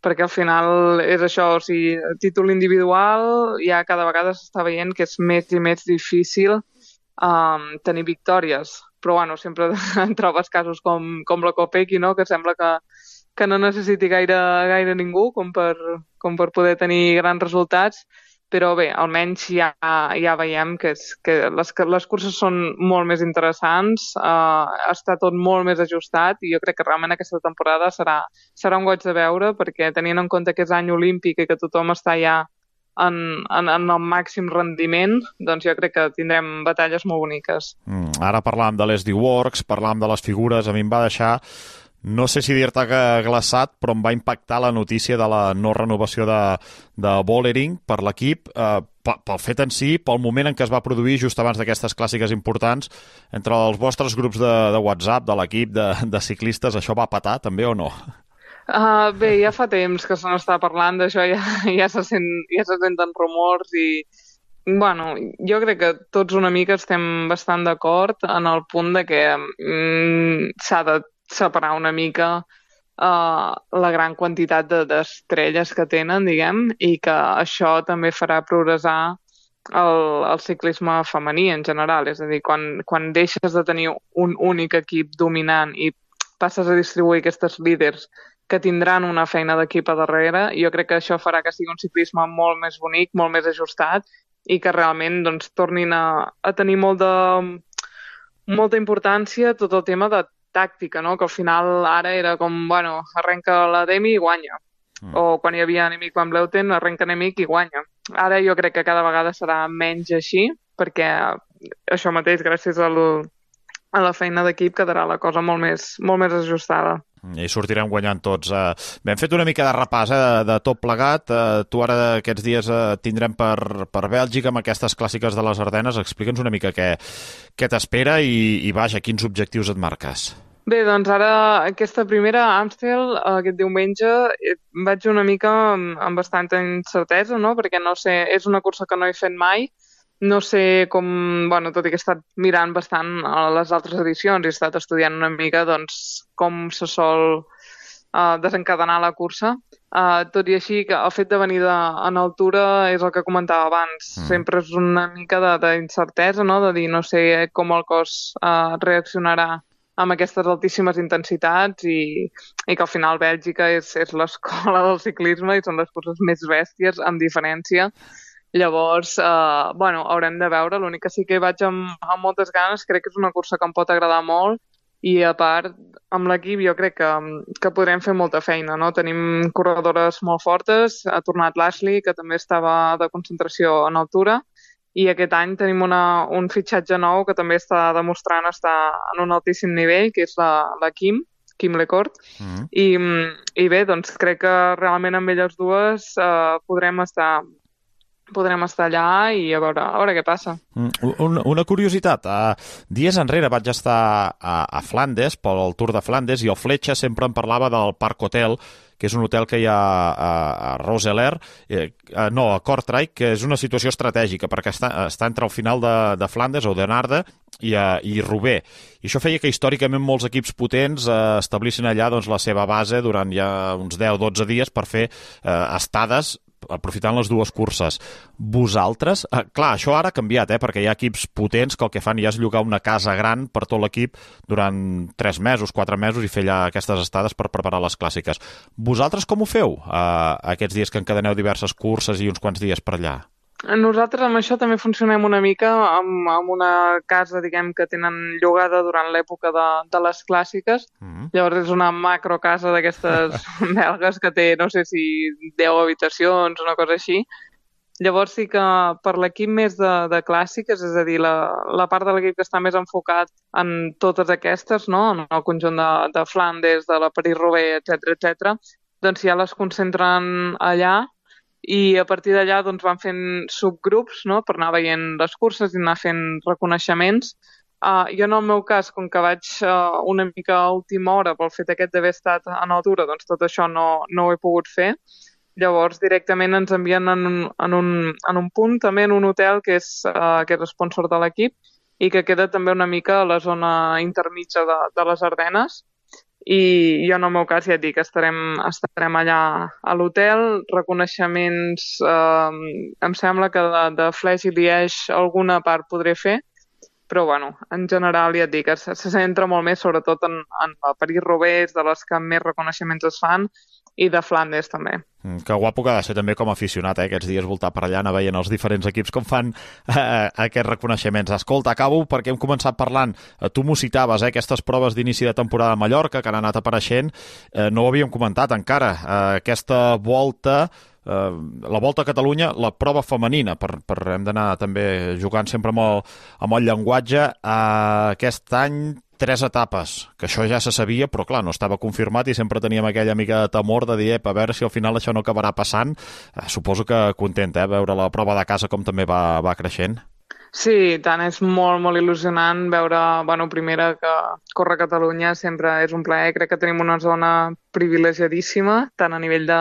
Perquè al final és això, o sigui, títol individual ja cada vegada s'està veient que és més i més difícil um, tenir victòries. Però bueno, sempre trobes casos com, com la Kopecky, no?, que sembla que, que no necessiti gaire, gaire ningú com per, com per poder tenir grans resultats. Però bé, almenys ja, ja veiem que, és, que les, que les curses són molt més interessants, eh, està tot molt més ajustat, i jo crec que realment aquesta temporada serà, serà un goig de veure, perquè tenint en compte que és any olímpic i que tothom està ja en, en, en el màxim rendiment, doncs jo crec que tindrem batalles molt boniques. Mm, ara parlàvem de l'S D Works, parlàvem de les figures, a mi em va deixar... No sé si dir-te que glaçat, però em va impactar la notícia de la no renovació de, de Vollering per l'equip, eh, pel fet en si, pel moment en què es va produir just abans d'aquestes clàssiques importants, entre els vostres grups de, de WhatsApp, de l'equip de, de ciclistes, això va patar també o no? Uh, bé, ja fa temps que se n'està parlant d'això, ja, ja, se sent, ja se senten rumors i... Bueno, jo crec que tots una mica estem bastant d'acord en el punt de que mm, s'ha de separar una mica uh, la gran quantitat de, d'estrelles que tenen, diguem, i que això també farà progressar el, el ciclisme femení en general. És a dir, quan, quan deixes de tenir un únic equip dominant i passes a distribuir aquestes líders que tindran una feina d'equip a darrere, jo crec que això farà que sigui un ciclisme molt més bonic, molt més ajustat i que realment doncs, tornin a, a tenir molt de, molta importància tot el tema de tàctica, no? Que al final ara era com, bueno, arrenca la Demi i guanya. Mm. O quan hi havia enemic Van Vleuten, arrenca enemic i guanya. Ara jo crec que cada vegada serà menys així, perquè això mateix, gràcies al, a la feina d'equip, quedarà la cosa molt més, molt més ajustada. I sortirem guanyant tots. Bé, hem fet una mica de repàs eh, de tot plegat. Eh, tu ara aquests dies eh, tindrem per, per Bèlgica amb aquestes clàssiques de les Ardenes. Explica'ns una mica què, què t'espera i, i vaja, quins objectius et marques. Bé, doncs ara aquesta primera Amstel, aquest diumenge, vaig una mica amb, amb bastanta incertesa, no? Perquè no sé, és una cursa que no he fet mai. No sé com, bueno, tot i que he estat mirant bastant a les altres edicions i he estat estudiant una mica doncs, com se sol uh, desencadenar la cursa. Uh, tot i així, que el fet de venir de, en altura és el que comentava abans. Mm. Sempre és una mica d'incertesa, no? De dir no sé com el cos uh, reaccionarà amb aquestes altíssimes intensitats i, i que al final Bèlgica és, és l'escola del ciclisme i són les curses més bèsties, amb diferència. Llavors, eh, bueno, haurem de veure. L'únic que sí que vaig amb, amb moltes ganes, crec que és una cursa que em pot agradar molt i, a part, amb l'equip jo crec que, que podrem fer molta feina, no? Tenim corredores molt fortes, ha tornat l'Ashley, que també estava de concentració en altura, i aquest any tenim una, un fitxatge nou que també està demostrant estar en un altíssim nivell, que és la, la Kim, Kim Lecourt, mm-hmm. I, i bé, doncs crec que realment amb elles dues eh, podrem estar... podrem estar allà i a veure, a veure què passa. Una, una curiositat, uh, dies enrere vaig estar a, a Flandes, pel Tour de Flandes, i el Fletxa sempre em parlava del Parc Hotel, que és un hotel que hi ha a, a Roeselare, eh, no, a Kortrijk, que és una situació estratègica, perquè està, està entre el final de, de Flandes, Oudenaarde, i, a, i Roubaix. I això feia que històricament molts equips potents eh, establissin allà doncs, la seva base durant ja uns deu o dotze dies per fer eh, estades aprofitant les dues curses. Vosaltres, eh, clar, això ara ha canviat, eh, perquè hi ha equips potents que el que fan ja és llogar una casa gran per tot l'equip durant tres mesos, quatre mesos i fer allà aquestes estades per preparar les clàssiques. Vosaltres com ho feu eh, aquests dies que encadeneu diverses curses i uns quants dies per allà? Nosaltres amb això també funcionem una mica amb, amb una casa, diguem, que tenen llogada durant l'època de, de les clàssiques. Mm-hmm. Llavors és una macro casa d'aquestes belgues que té, no sé si deu habitacions, una cosa així. Llavors sí que per l'equip més de, de clàssiques, és a dir, la, la part de l'equip que està més enfocat en totes aquestes, no? En el conjunt de, de Flandes, de la París-Roubaix, etcètera, etcètera, doncs ja les concentren allà. I a partir d'allà doncs, van fent subgrups, no?, per anar veient les curses i anar fent reconeixements. Uh, jo en el meu cas, com que vaig uh, una mica a última hora pel fet aquest d'haver estat en altura, doncs tot això no, no ho he pogut fer. Llavors directament ens envien en un, en un, en un punt, també en un hotel que és, uh, que és sponsor de l'equip i que queda també una mica a la zona intermitja de, de les Ardenes. I jo en el meu cas ja et dic, estarem, estarem allà a l'hotel, reconeixements, eh, em sembla que de, de Flèche i Liège alguna part podré fer, però bueno, en general ja et dic, se, se centra molt més sobretot en, en la París-Roubaix, de les que més reconeixements es fan, i de Flandes també. Que guapo que ha de ser també com a aficionat, eh? Aquests dies voltar per allà, anar veient els diferents equips com fan eh, aquests reconeixements. Escolta, acabo perquè hem començat parlant, eh, tu m'ho citaves, eh, aquestes proves d'inici de temporada a Mallorca que han anat apareixent, eh, no ho havíem comentat encara, eh, aquesta volta, eh, la Volta a Catalunya, la prova femenina, per, per hem d'anar també jugant sempre amb el, amb el llenguatge, eh, aquest any tres etapes, que això ja se sabia, però clar, no estava confirmat i sempre teníem aquella mica de temor de dir, a veure si al final això no acabarà passant. Eh, suposo que content, eh, veure la prova de casa com també va, va creixent. Sí, tant, és molt, molt il·lusionant veure, bueno, primera que córrer a Catalunya sempre és un plaer, crec que tenim una zona privilegiadíssima, tant a nivell de,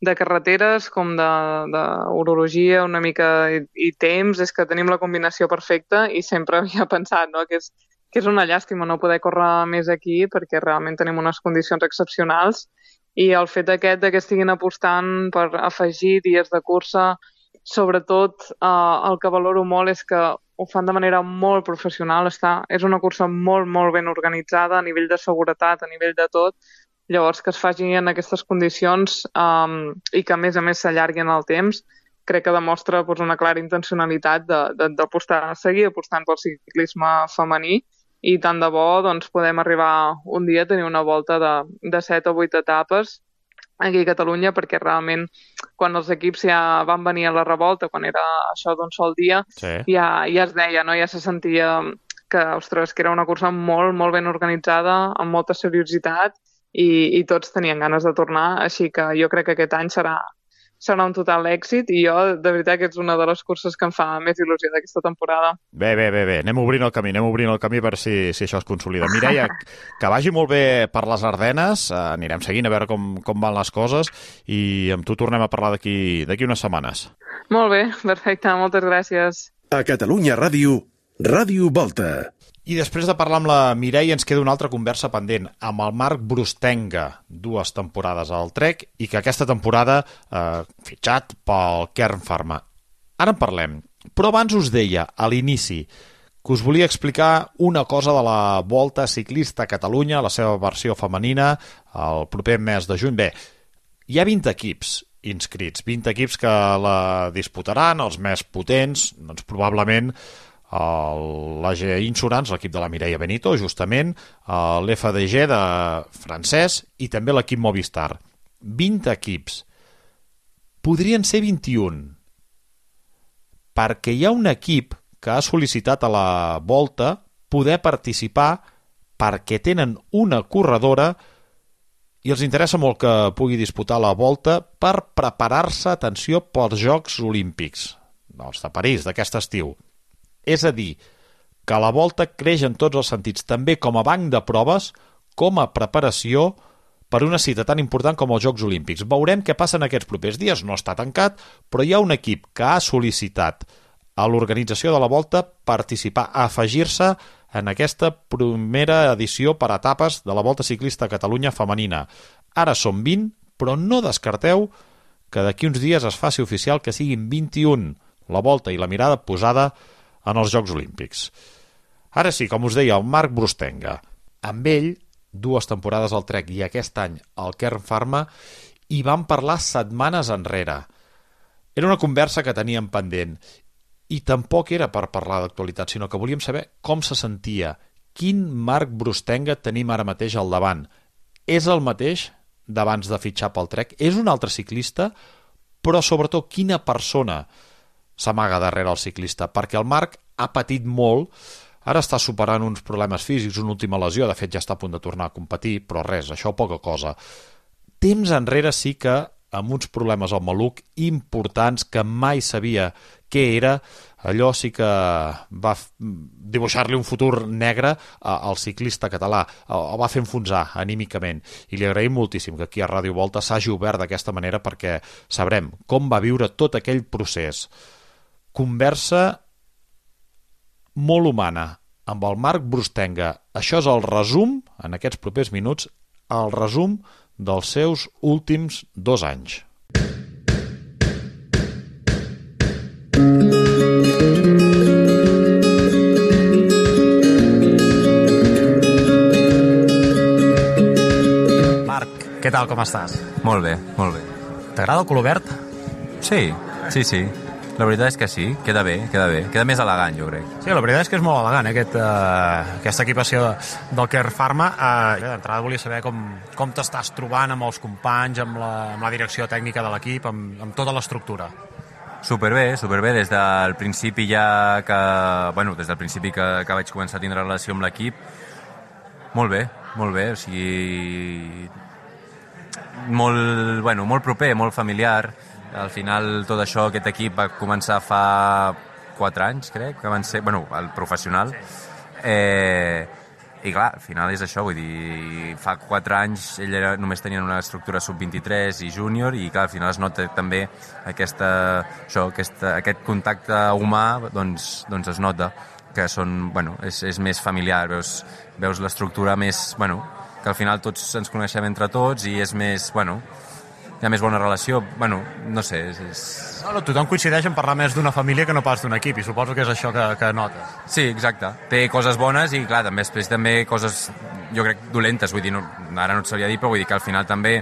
de carreteres com d'urologia, una mica i, i temps, és que tenim la combinació perfecta i sempre havia pensat, no?, que és que és una llàstima no poder córrer més aquí perquè realment tenim unes condicions excepcionals i el fet aquest de que estiguin apostant per afegir dies de cursa, sobretot eh, el que valoro molt és que ho fan de manera molt professional, està, és una cursa molt, molt ben organitzada a nivell de seguretat, a nivell de tot, llavors que es faci en aquestes condicions um, i que a més a més s'allargui en el temps, crec que demostra doncs, una clara intencionalitat d'apostar, de, de, seguir apostant pel ciclisme femení i tant de bo doncs, podem arribar un dia a tenir una volta de, de set o vuit etapes aquí a Catalunya, perquè realment quan els equips ja van venir a la revolta, quan era això d'un sol dia, sí. ja, ja es deia, no? Ja se sentia que, ostres, que era una cursa molt, molt ben organitzada, amb molta seriositat, i, i tots tenien ganes de tornar, així que jo crec que aquest any serà, serà un total èxit i jo, de veritat, que és una de les curses que em fa més il·lusió d'aquesta temporada. Bé, bé, bé, bé. Anem obrint el camí, anem obrint el camí per si, si això es consolida. Mireia, que vagi molt bé per les Ardenes, eh, anirem seguint a veure com, com van les coses i amb tu tornem a parlar d'aquí d'aquí unes setmanes. Molt bé, perfecte, moltes gràcies. A Catalunya Ràdio, Ràdio Volta. I després de parlar amb la Mireia ens queda una altra conversa pendent amb el Marc Brustenga, dues temporades al Trek i que aquesta temporada eh, fitxat pel Kern Pharma. Ara en parlem, però abans us deia a l'inici que us volia explicar una cosa de la Volta Ciclista a Catalunya, la seva versió femenina, el proper mes de juny. Bé, hi ha vint equips inscrits, vint equips que la disputaran, els més potents, doncs probablement l'A G Insurance, l'equip de la Mireia Benito, justament, l'F D G de francès i també l'equip Movistar. vint equips. Podrien ser vint-i-un, perquè hi ha un equip que ha sol·licitat a la Volta poder participar perquè tenen una corredora i els interessa molt que pugui disputar la Volta per preparar-se, atenció, pels Jocs Olímpics, els de París, d'aquest estiu. És a dir, que la Volta creix en tots els sentits, també com a banc de proves, com a preparació per una cita tan important com els Jocs Olímpics. Veurem què passa en aquests propers dies, no està tancat, però hi ha un equip que ha sol·licitat a l'organització de la Volta participar, a afegir-se en aquesta primera edició per etapes de la Volta Ciclista a Catalunya femenina. Ara són vint, però no descarteu que d'aquí uns dies es faci oficial que siguin vint-i-un, la Volta i la mirada posada en els Jocs Olímpics. Ara sí, com us deia, el Marc Brustenga. Amb ell, dues temporades al Trek i aquest any al Kern Pharma, hi vam parlar setmanes enrere. Era una conversa que teníem pendent i tampoc era per parlar d'actualitat, sinó que volíem saber com se sentia, quin Marc Brustenga tenim ara mateix al davant. És el mateix d'abans de fitxar pel Trek? És un altre ciclista? Però sobretot, quina persona s'amaga darrere el ciclista, perquè el Marc ha patit molt, ara està superant uns problemes físics, una última lesió, de fet ja està a punt de tornar a competir, però res, això poca cosa. Temps enrere sí que amb uns problemes al maluc importants que mai sabia què era, allò sí que va dibuixar-li un futur negre al ciclista català, el va fer enfonsar anímicament, i li agraïm moltíssim que aquí a Ràdio Volta s'hagi obert d'aquesta manera perquè sabrem com va viure tot aquell procés. Conversa molt humana amb el Marc Brustenga. Això és el resum, en aquests propers minuts, el resum dels seus últims dos anys. Marc, què tal, com estàs? Molt bé, molt bé. T'agrada el color verd? Sí, sí, sí. La veritat és que sí, queda bé, queda bé. Queda més elegant, jo crec. Sí, la veritat és que és molt elegant, eh, aquest, uh, aquesta equipació del Kern Pharma. Uh, D'entrada volia saber com, com t'estàs trobant amb els companys, amb la, amb la direcció tècnica de l'equip, amb, amb tota l'estructura. Superbé, superbé. Des del principi ja que... Bueno, des del principi que, que vaig començar a tindre relació amb l'equip, molt bé, molt bé. O sigui... Molt, bueno, molt proper, molt familiar. Al final tot això, aquest equip va començar fa quatre anys, crec, que van ser, bueno, el professional. Eh, I clar, al final és això, vull dir, fa quatre anys ell era, només tenien una estructura sub vint-i-tres i júnior, i clar, al final es nota també aquesta, això, aquesta, aquest contacte humà, doncs, doncs es nota. que són, bueno, és, és més familiar, veus, veus l'estructura més, bueno, que al final tots ens coneixem entre tots i és més, bueno, hi ha més bona relació, bueno, no sé, és... és... No, no, tothom coincideix en parlar més d'una família que no pas d'un equip, i suposo que és això que, que notes. Sí, exacte. Té coses bones i, clar, també després també coses, jo crec, dolentes, vull dir, no, ara no et sabria dir, però vull dir que al final també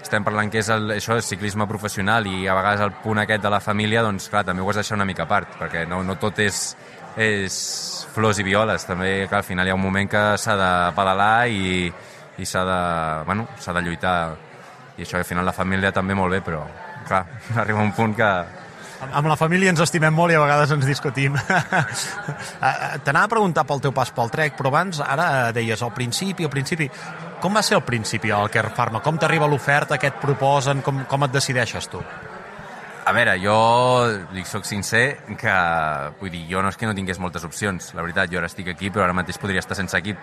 estem parlant que és el, això, el ciclisme professional i a vegades el punt aquest de la família, doncs, clar, també ho has de deixar una mica a part, perquè no, no tot és, és flors i violes, també, clar, al final hi ha un moment que s'ha de pedalar i, i s'ha de, bueno, s'ha de lluitar, i això al final la família també molt bé, però, clar, arriba un punt que... Amb la família ens estimem molt i a vegades ens discutim. T'anava a preguntar pel teu pas pel Trek, però abans, ara deies, al principi, al principi... Com va ser al principi el Kern Pharma? Com t'arriba l'oferta, què et proposen, com, com et decideixes tu? A veure, jo dic, soc sincer, que vull dir, jo no és que no tingués moltes opcions, la veritat, jo ara estic aquí, però ara mateix podria estar sense equip,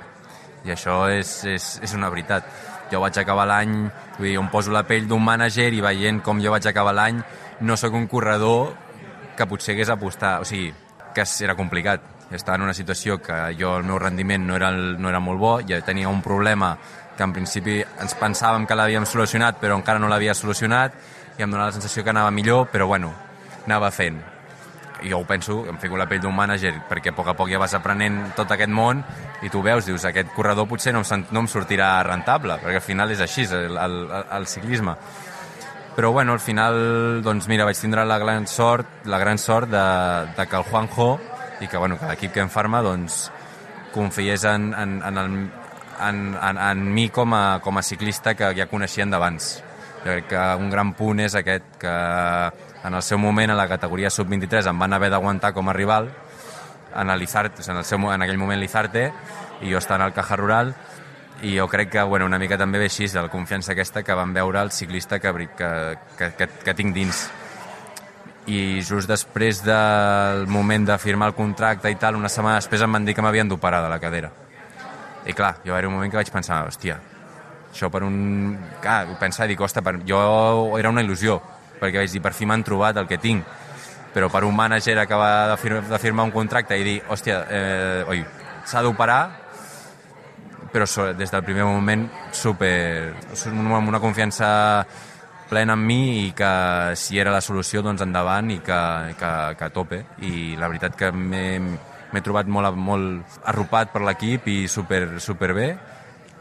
i això és, és, és una veritat. Jo vaig acabar l'any, vull dir, em poso la pell d'un mànager i veient com jo vaig acabar l'any, no sóc un corredor que potser hagués apostat, o sigui, que era complicat. Estava en una situació que jo, el meu rendiment no era, el, no era molt bo, ja tenia un problema que en principi ens pensàvem que l'havíem solucionat, però encara no l'havia solucionat, i em donava la sensació que anava millor, però bueno, anava fent. I jo ho penso, em fico la pell d'un mànager, perquè a poc a poc ja vas aprenent tot aquest món, i tu veus, dius, aquest corredor potser no em, no em sortirà rentable, perquè al final és així, el, el, el ciclisme. Però bueno, al final, doncs mira, vaig tindre la gran sort, la gran sort de, de que el Juanjo, i que, bueno, que l'equip Kern Pharma, doncs, confiés en, en, en, el, en, en, en mi com a, com a ciclista que ja coneixien d'abans. Jo crec que un gran punt és aquest, que en el seu moment, a la categoria sub vint-i-tres, em van haver d'aguantar com a rival, en, l'Izarte, en, el seu, en aquell moment l'Izarte, i jo estava al Caja Rural, i jo crec que, bueno, una mica també ve així, de la confiança aquesta que van veure el ciclista que, que, que, que, que tinc dins. I just després del moment de firmar el contracte i tal, una setmana després em van dir que m'havien d'operar de la cadera. I clar, jo era un moment que vaig pensar, hòstia, això per un... Clar, pensar, dic, ostres, per... jo era una il·lusió, perquè vaig dir, per fi m'han trobat el que tinc, però per un mànager acabar de, fir... de firmar un contracte i dir, hòstia, eh, oi, s'ha d'operar, però des del primer moment super... amb una confiança plena en mi i que si era la solució, doncs endavant i que, que, que a tope. I la veritat que m'he trobat molt, molt arropat per l'equip i super, super bé.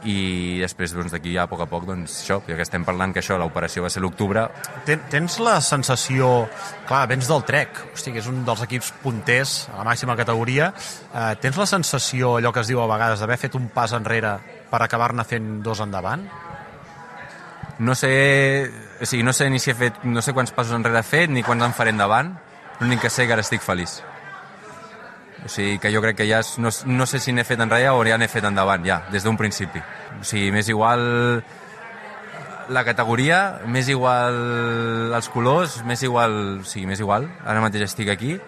I després doncs, d'aquí ja a poc a poc, doncs això, ja que estem parlant que això, l'operació va ser l'octubre. Ten, tens la sensació, clar, vens del Trek, hosti, que és un dels equips punters a la màxima categoria, eh, tens la sensació, allò que es diu a vegades, d'haver fet un pas enrere per acabar-ne fent dos endavant? No sé, o sigui, no sé ni si he fet, no sé quants passos enrere he fet, ni quants en faré endavant, l'únic que sé que ara estic feliç. O sigui, que jo crec que ja, és, no, no sé si n'he fet enrere o ja n'he fet endavant, ja, des d'un principi. O sigui, m'és igual la categoria, m'és igual els colors, m'és igual, o sigui, m'és igual, ara mateix estic aquí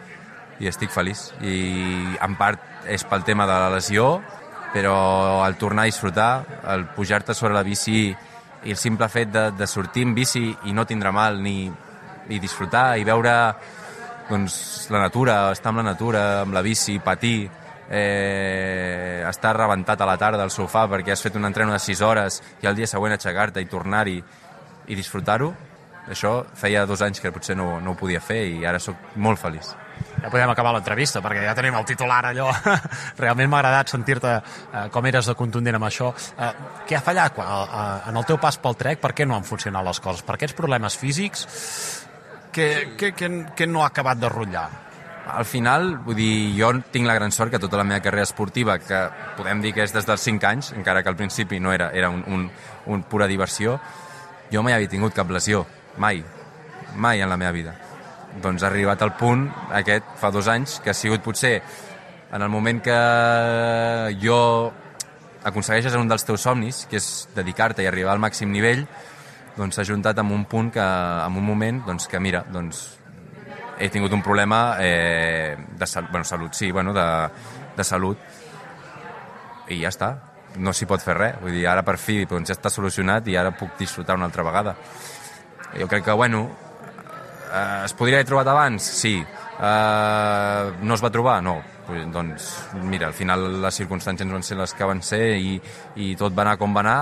i estic feliç. I en part és pel tema de la lesió, però el tornar a disfrutar, el pujar-te sobre la bici i el simple fet de, de sortir en bici i no tindre mal, ni i disfrutar i veure doncs, la natura, estar amb la natura, amb la bici, patir, eh, estar rebentat a la tarda al sofà perquè has fet un entreno de sis hores i al dia següent aixecar-te i tornar-hi i disfrutar-ho, això feia dos anys que potser no, no ho podia fer i ara sóc molt feliç. Ja podem acabar l'entrevista, perquè ja tenim el titular allò. Realment m'ha agradat sentir-te eh, com eres de contundent amb això. Eh, què ha fallat quan, eh, en el teu pas pel Trek? Per què no han funcionat les coses? Per aquests problemes físics que, que, que, que no ha acabat de rotllar? Al final, vull dir, jo tinc la gran sort que tota la meva carrera esportiva, que podem dir que és des dels cinc anys, encara que al principi no era, era un, un, un pura diversió, jo mai havia tingut cap lesió, mai, mai en la meva vida. Doncs ha arribat al punt aquest fa dos anys que ha sigut potser en el moment que jo aconsegueixes un dels teus somnis, que és dedicar-te i arribar al màxim nivell, doncs s'ha juntat amb un punt que, en un moment, doncs que mira, doncs he tingut un problema eh, de salut, bueno, salut, sí, bueno, de, de salut i ja està, no s'hi pot fer res, vull dir, ara per fi doncs ja està solucionat i ara puc disfrutar una altra vegada. Jo crec que, bueno, Eh, es podria haver trobat abans? Sí, Uh, no es va trobar? No. Pues, doncs, mira, al final les circumstàncies van ser les que van ser i, i tot va anar com va anar.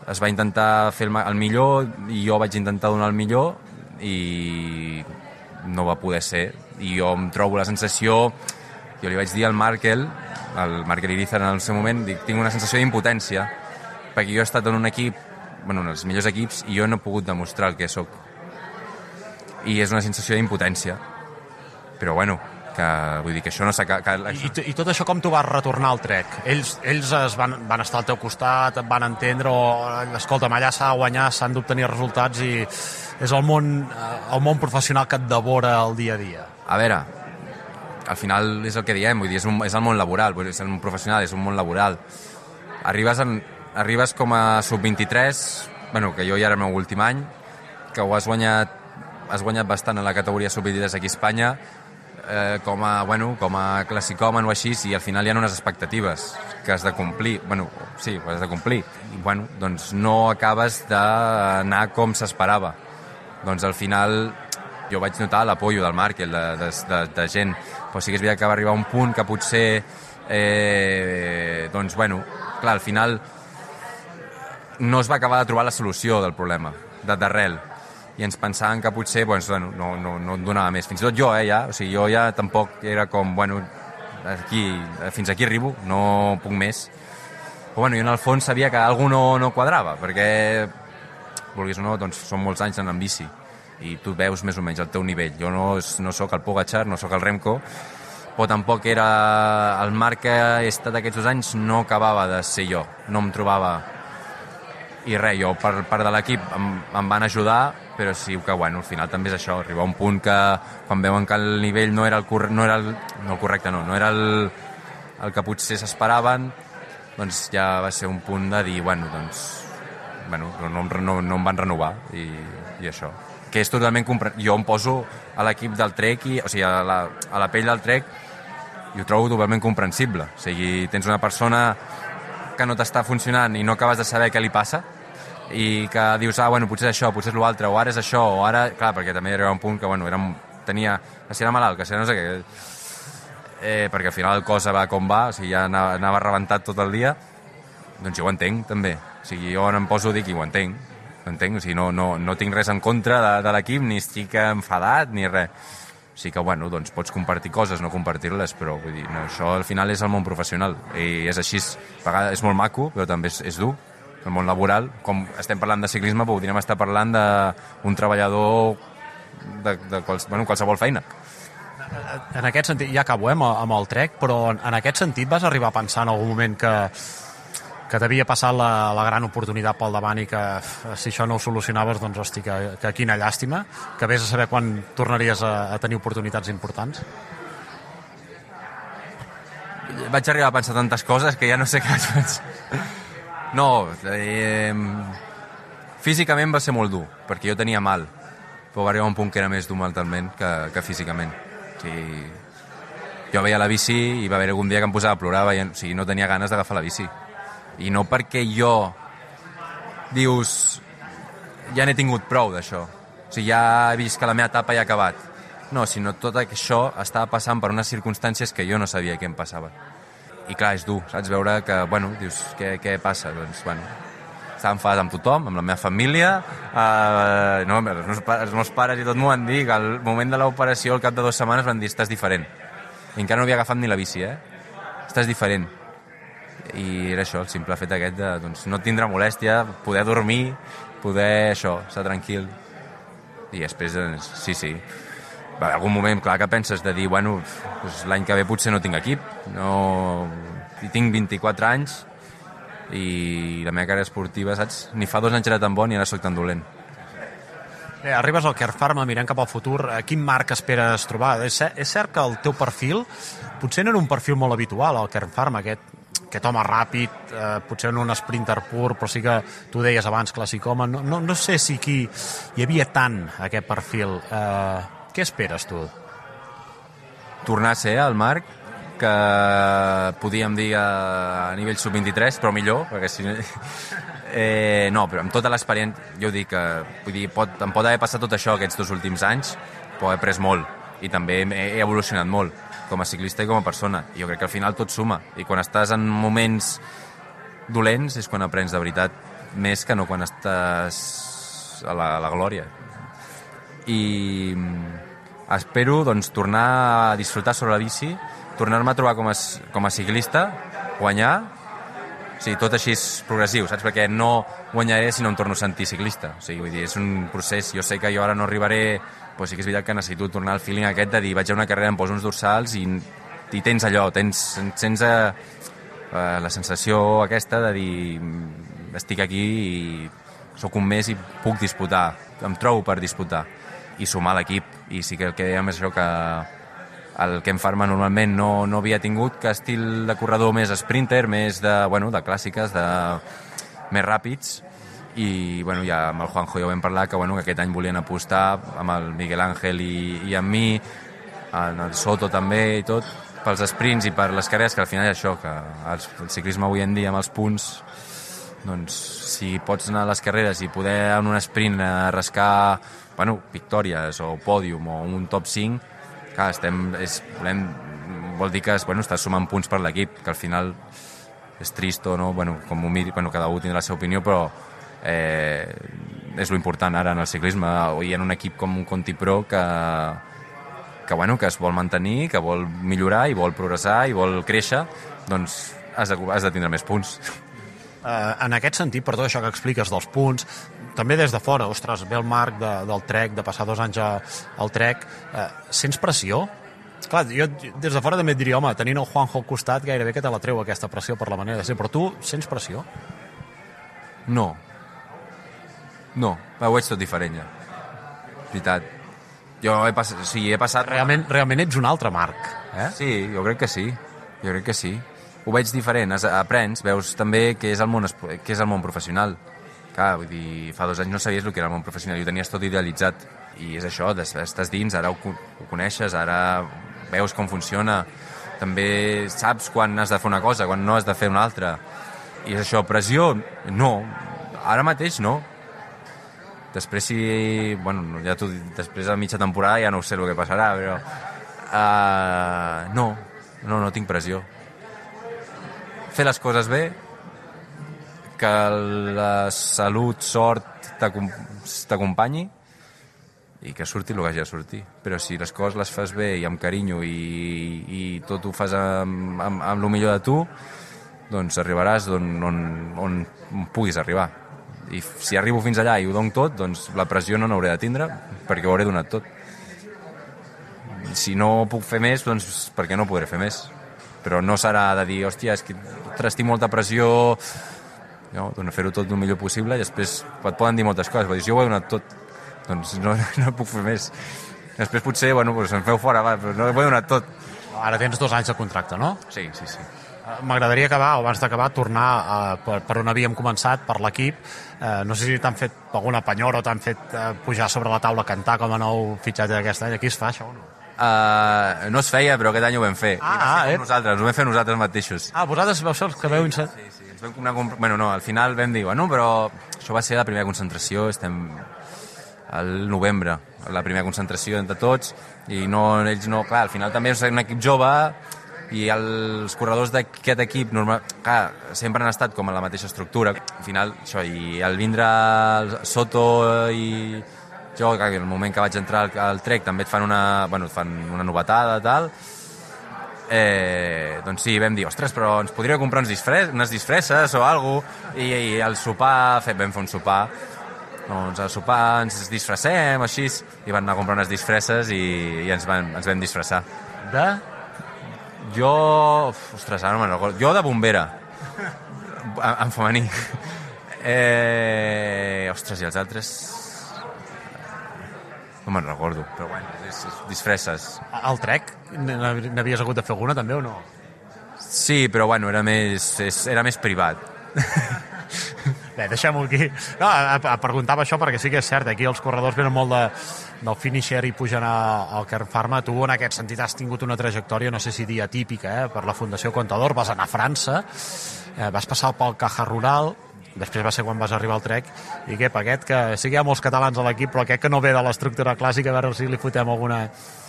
Es va intentar fer el, el millor i jo vaig intentar donar el millor i no va poder ser. I jo em trobo la sensació, jo li vaig dir al Markel, al Markel Irizar en el seu moment, dic, tinc una sensació d'impotència, perquè jo he estat en un equip, bueno, en els millors equips, i jo no he pogut demostrar el que sóc. I és una sensació d'impotència. Però bueno, que vull dir que això no s'ha... Que... I, I tot això com tu vas retornar al Trek? Ells, ells es van, van estar al teu costat, et van entendre, o escolta'm, allà s'ha de guanyar, s'han d'obtenir resultats i és el món, el món professional que et devora el dia a dia. A veure, al final és el que diem, vull dir, és, un, és el món laboral, vull dir, és un professional, és un món laboral. Arribes, en, arribes com a sub vint-i-tres, bueno, que jo ja era el meu últim any, que ho has guanyat, has guanyat bastant en la categoria sub vint-i-tres aquí a Espanya, eh, com a, bueno, com a classicòman o així, i al final hi ha unes expectatives que has de complir, bueno, sí, ho has de complir, i bueno, doncs no acabes d'anar com s'esperava. Doncs al final jo vaig notar l'apollo del Markel, de, de, de, de gent, però sí que és veritat que va arribar a un punt que potser, eh, doncs bueno, clar, al final no es va acabar de trobar la solució del problema, d'arrel, i ens pensàvem que potser doncs, bueno, no, no, no et donava més. Fins i tot jo, eh, ja, o sigui, jo ja tampoc era com, bueno, aquí, fins aquí arribo, no puc més. Però bueno, jo en el fons sabia que alguna no, no quadrava, perquè, vulguis o no, doncs són molts anys anant en bici, i tu veus més o menys el teu nivell. Jo no, no sóc el Pogačar, no sóc el Remco, però tampoc era el Marc que he estat aquests dos anys, no acabava de ser jo, no em trobava. I res, jo per part de l'equip em, em van ajudar, però sí que, bueno, al final també és això, arribar a un punt que quan veuen que el nivell no era el, corre, no era el, no el correcte, no, no era el, el que potser s'esperaven, doncs ja va ser un punt de dir, bueno, doncs, bueno, no, no, no em van renovar, i, i això. Que és totalment comprensible. Jo em poso a l'equip del Trek, i, o sigui, a la, a la pell del Trek, i ho trobo totalment comprensible. O sigui, tens una persona que no t'està funcionant i no acabes de saber què li passa, i que dius, ah, bueno, potser és això, potser és l'altre, o ara és això, o ara... Clar, perquè també hi arriba un punt que, bueno, era, tenia... Que si era malalt, que si era no sé què... Eh, perquè al final el cos va com va, o sigui, ja anava, anava rebentat tot el dia, doncs jo ho entenc, també. O sigui, jo em poso a dir que ho entenc, ho entenc, o sigui, no, no, no tinc res en contra de, de l'equip, ni estic enfadat, ni res. O sigui que, bueno, doncs pots compartir coses, no compartir-les, però vull dir, no, això al final és el món professional, i és així, a vegades és molt maco, però també és, és dur. El món laboral, com estem parlant de ciclisme, podríem estar parlant d'un treballador de, de quals, bueno, qualsevol feina. En aquest sentit, ja acabo eh, amb el Trek, però en aquest sentit vas arribar a pensar en algun moment que, que t'havia passat la, la gran oportunitat pel davant i que si això no ho solucionaves, doncs hosti, que, que quina llàstima, que vés a saber quan tornaries a, a tenir oportunitats importants? Vaig arribar a pensar tantes coses que ja no sé què vaig pensar. No, eh, físicament va ser molt dur, perquè jo tenia mal, però va arribar un punt que era més dur mentalment que, que físicament. O sigui, jo veia la bici i va haver algun dia que em posava a plorar, veient, o sigui, no tenia ganes d'agafar la bici. I no perquè jo, dius, ja n'he tingut prou d'això, o sigui, ja he vist que la meva etapa ja ha acabat. No, sinó tot això estava passant per unes circumstàncies que jo no sabia què em passava. I clar, és dur, saps? Veure que, bueno, dius, què, què passa? Doncs, bueno, estava enfadat amb tothom, amb la meva família, eh, no, els meus, els meus pares i tot m'ho van dir, que al moment de l'operació, al cap de dues setmanes, van dir, estàs diferent. I encara no havia agafat ni la bici, eh? Estàs diferent. I era això, el simple fet aquest de, doncs, no tindre molèstia, poder dormir, poder, això, estar tranquil. I després, doncs, sí, sí, en algun moment, clar, que penses de dir, bueno, doncs l'any que ve potser no tinc equip, no... I tinc vint-i-quatre anys i la meva carrera esportiva, saps? Ni fa dos anys era tan bon i ara soc tan dolent. Bé, arribes al Kern Pharma, mirant cap al futur, quin marc esperes trobar? És cert, és cert que el teu perfil potser no era un perfil molt habitual al Kern Pharma, aquest, aquest home ràpid, eh, potser no un sprinter pur, però sí que tu deies abans classicòman, no, no, no sé si aquí hi havia tant aquest perfil. Eh, Què esperes, tu? Tornar a ser el Marc que podíem dir a nivell sub vint-i-tres, però millor, perquè si... Eh, no, però amb tota l'experiència, jo dic que vull dir, pot, em pot haver passat tot això aquests dos últims anys, però he après molt. i també he evolucionat molt com a ciclista i com a persona. I jo crec que al final tot suma. I quan estàs en moments dolents és quan aprens de veritat, més que no quan estàs a la, a la glòria. I espero doncs, tornar a disfrutar sobre la bici, tornar-me a trobar com a, com a ciclista, guanyar, o sigui, tot així és progressiu, saps? Perquè no guanyaré si no em torno a sentir ciclista. O sigui, vull dir, és un procés. Jo sé que jo ara no arribaré, però sí que és veritat que necessito tornar al feeling aquest de dir vaig a una carrera, em poso uns dorsals i, i tens allò, tens, tens uh, uh, la sensació aquesta de dir estic aquí i sóc un mes i puc disputar, em trobo per disputar i sumar l'equip. I sí que el que dèiem és això, que el Ken Pharma normalment no, no havia tingut que estil de corredor més sprinter, més de, bueno, de clàssiques, de més ràpids, i bueno, ja amb el Juanjo ja ho vam parlar, que, bueno, que aquest any volien apostar amb el Miguel Ángel i, i amb mi, en el Soto també i tot, pels sprints i per les carreres, que al final és això, que el, el ciclisme avui en dia amb els punts, doncs si pots anar a les carreres i poder en un sprint rascar, bueno, victòries o pòdium o un top cinc, clar, estem, és, volem, vol dir que bueno, estàs sumant punts per l'equip, que al final és trist o no, bueno, com ho miri, bueno, cada un tindrà la seva opinió, però eh, és lo important ara en el ciclisme i en un equip com un Conti Pro que, que, bueno, que es vol mantenir, que vol millorar i vol progressar i vol créixer, doncs has de, has de tindre més punts. Uh, en aquest sentit, per tot això que expliques dels punts, també des de fora, ostres, ve el Marc de, del Trek, de passar dos anys a, al Trek, uh, sents pressió? Clar, jo des de fora també et diria, home, tenint el Juanjo al costat gairebé que te la treu aquesta pressió per la manera de ser, però tu sents pressió? No. No, ho veig tot diferent ja. Veritat. Jo he passat... O sigui, he passat... Realment, realment ets un altre Marc, eh? Sí, jo crec que sí. Jo crec que sí. Ho veig diferent, aprens, veus també què és el món, què és el món professional. Clar, vull dir, fa dos anys no sabies el que era el món professional i ho tenies tot idealitzat. I és això, estàs dins, ara ho, ho coneixes, ara veus com funciona, també saps quan has de fer una cosa, quan no has de fer una altra. I és això, pressió? No, ara mateix no. Després si... Bueno, ja tu, després de mitja temporada ja no sé el que passarà, però... Uh, no, no, no tinc pressió. Fer les coses bé, que la salut, sort t'acompanyi i que surti el que hagi de sortir. Però si les coses les fas bé i amb carinyo i, i tot ho fas amb, amb, amb el millor de tu, doncs arribaràs on, on, on puguis arribar. I si arribo fins allà i ho dono tot, doncs la pressió no n'hauré de tindre perquè ho hauré donat tot. Si no puc fer més, doncs perquè no podré fer més. Però no serà de dir, hòstia, és que estic molta pressió, no, doncs fer-ho tot el millor possible i després et poden dir moltes coses, però dir, jo ho he donat tot, doncs no, no puc fer més. Després potser, bueno, doncs em feu fora, va, però no ho he donat tot. Ara tens dos anys de contracte, no? Sí, sí, sí. M'agradaria acabar, o abans d'acabar, tornar a, per, per on havíem començat, per l'equip. Eh, no sé si t'han fet alguna penyora o t'han fet eh, pujar sobre la taula a cantar com a nou fitxatge d'aquest any. Aquí es fa això o no? Uh, no es feia, però aquest any ho vam fer. Ah, I ah, eh? nosaltres, ho vam fer nosaltres mateixos. Ah, vosaltres vau ser els que veu... Sí, sí, sí. Ens vam anar a comprar... Bueno, no, al final vam dir, bueno, però això va ser la primera concentració, estem al novembre, la primera concentració entre tots, i no, ells no... Clar, al final també és un equip jove, i els corredors d'aquest equip, normal, clar, sempre han estat com en la mateixa estructura. Al final, això, i al vindre el Soto i... Jo, en el moment que vaig entrar al, al Trek també et fan una, bueno, et fan una novetada i tal, eh, doncs sí, vam dir, ostres, però ens podria comprar uns disfres, unes disfresses o alguna cosa, i, i al sopar, fet, vam fer un sopar, doncs al sopar ens disfressem, així, i van anar a comprar unes disfresses i, i ens, van, ens vam disfressar. De? Jo, ostres, ara no me'n recordo, jo de bombera, en, en femení. Eh, ostres, i els altres... No me'n recordo, però bueno, és, és disfresses. Al Trek n'havies hagut de fer alguna també o no? Sí, però bueno, era més, és, era més privat. Bé, deixem-ho aquí. No, a, a, preguntava això perquè sí que és cert, aquí els corredors venen molt de, del finisher i pugen a, al Kern Pharma. Tu en aquest sentit has tingut una trajectòria, no sé si dir atípica, eh, per la Fundació Contador, vas anar a França, eh, vas passar pel Caja Rural després va ser quan vas arribar al Trek, i què, aquest, que sí que hi ha molts catalans a l'equip, però aquest que no ve de l'estructura clàssica, a veure si li fotem alguna...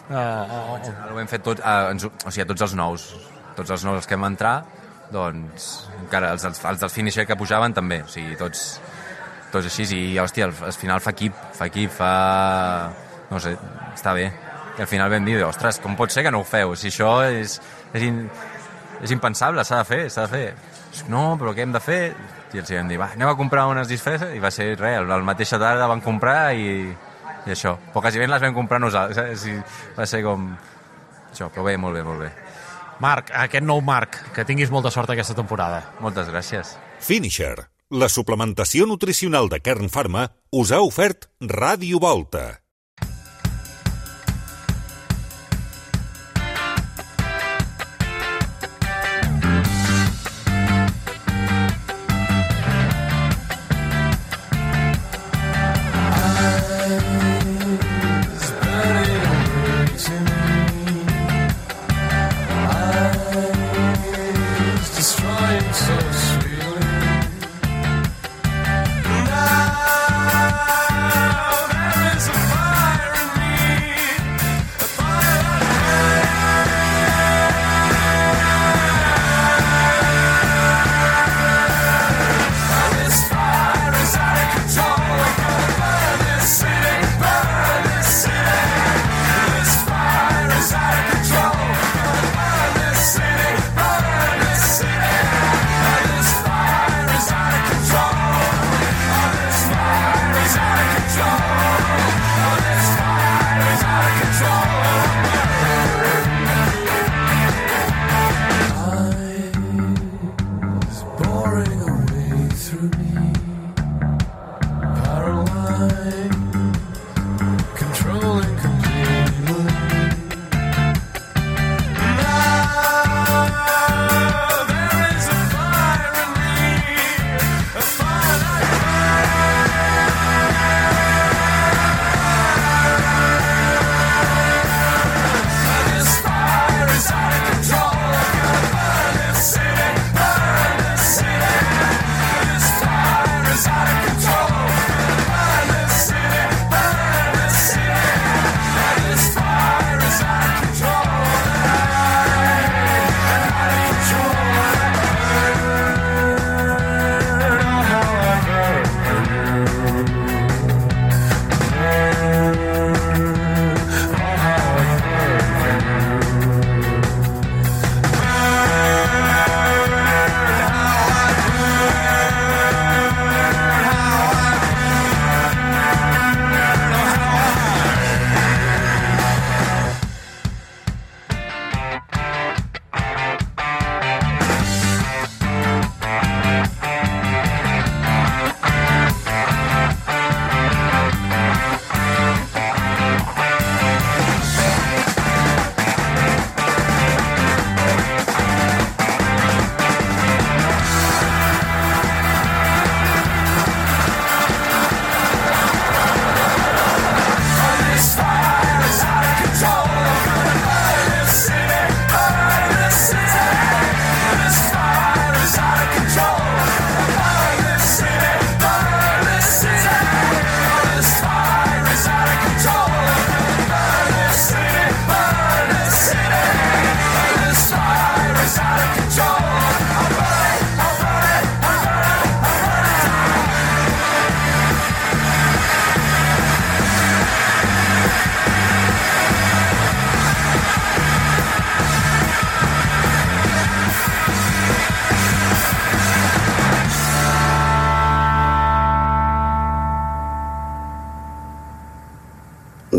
Uh, uh, uh. Ho hem fet tot, uh, ens, o sigui, tots els nous, tots els nous que hem entrar, doncs, encara els, els, els del finisher que pujaven també, o sigui, tots, tots així, i hòstia, al, al final fa equip, fa equip, fa... no sé, està bé. I al final vam dir, ostres, com pot ser que no ho feu? Si això és, és, in, és impensable, s'ha de fer, s'ha de fer. No, però què hem de fer? I els vam dir, va, anem a comprar unes disfresses, i va ser res, la mateixa tarda van comprar i, i això. Però quasi ben les vam comprar nosaltres, i va ser com... això, però bé, molt bé, molt bé. Marc, aquest nou Marc, que tinguis molta sort aquesta temporada. Moltes gràcies. Finisher, la suplementació nutricional de Kern Pharma, us ha ofert Ràdio Volta.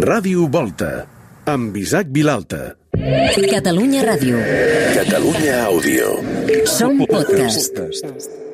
Ràdio Volta, amb Isaac Vilalta. Catalunya Ràdio. Catalunya Àudio. Som podcast.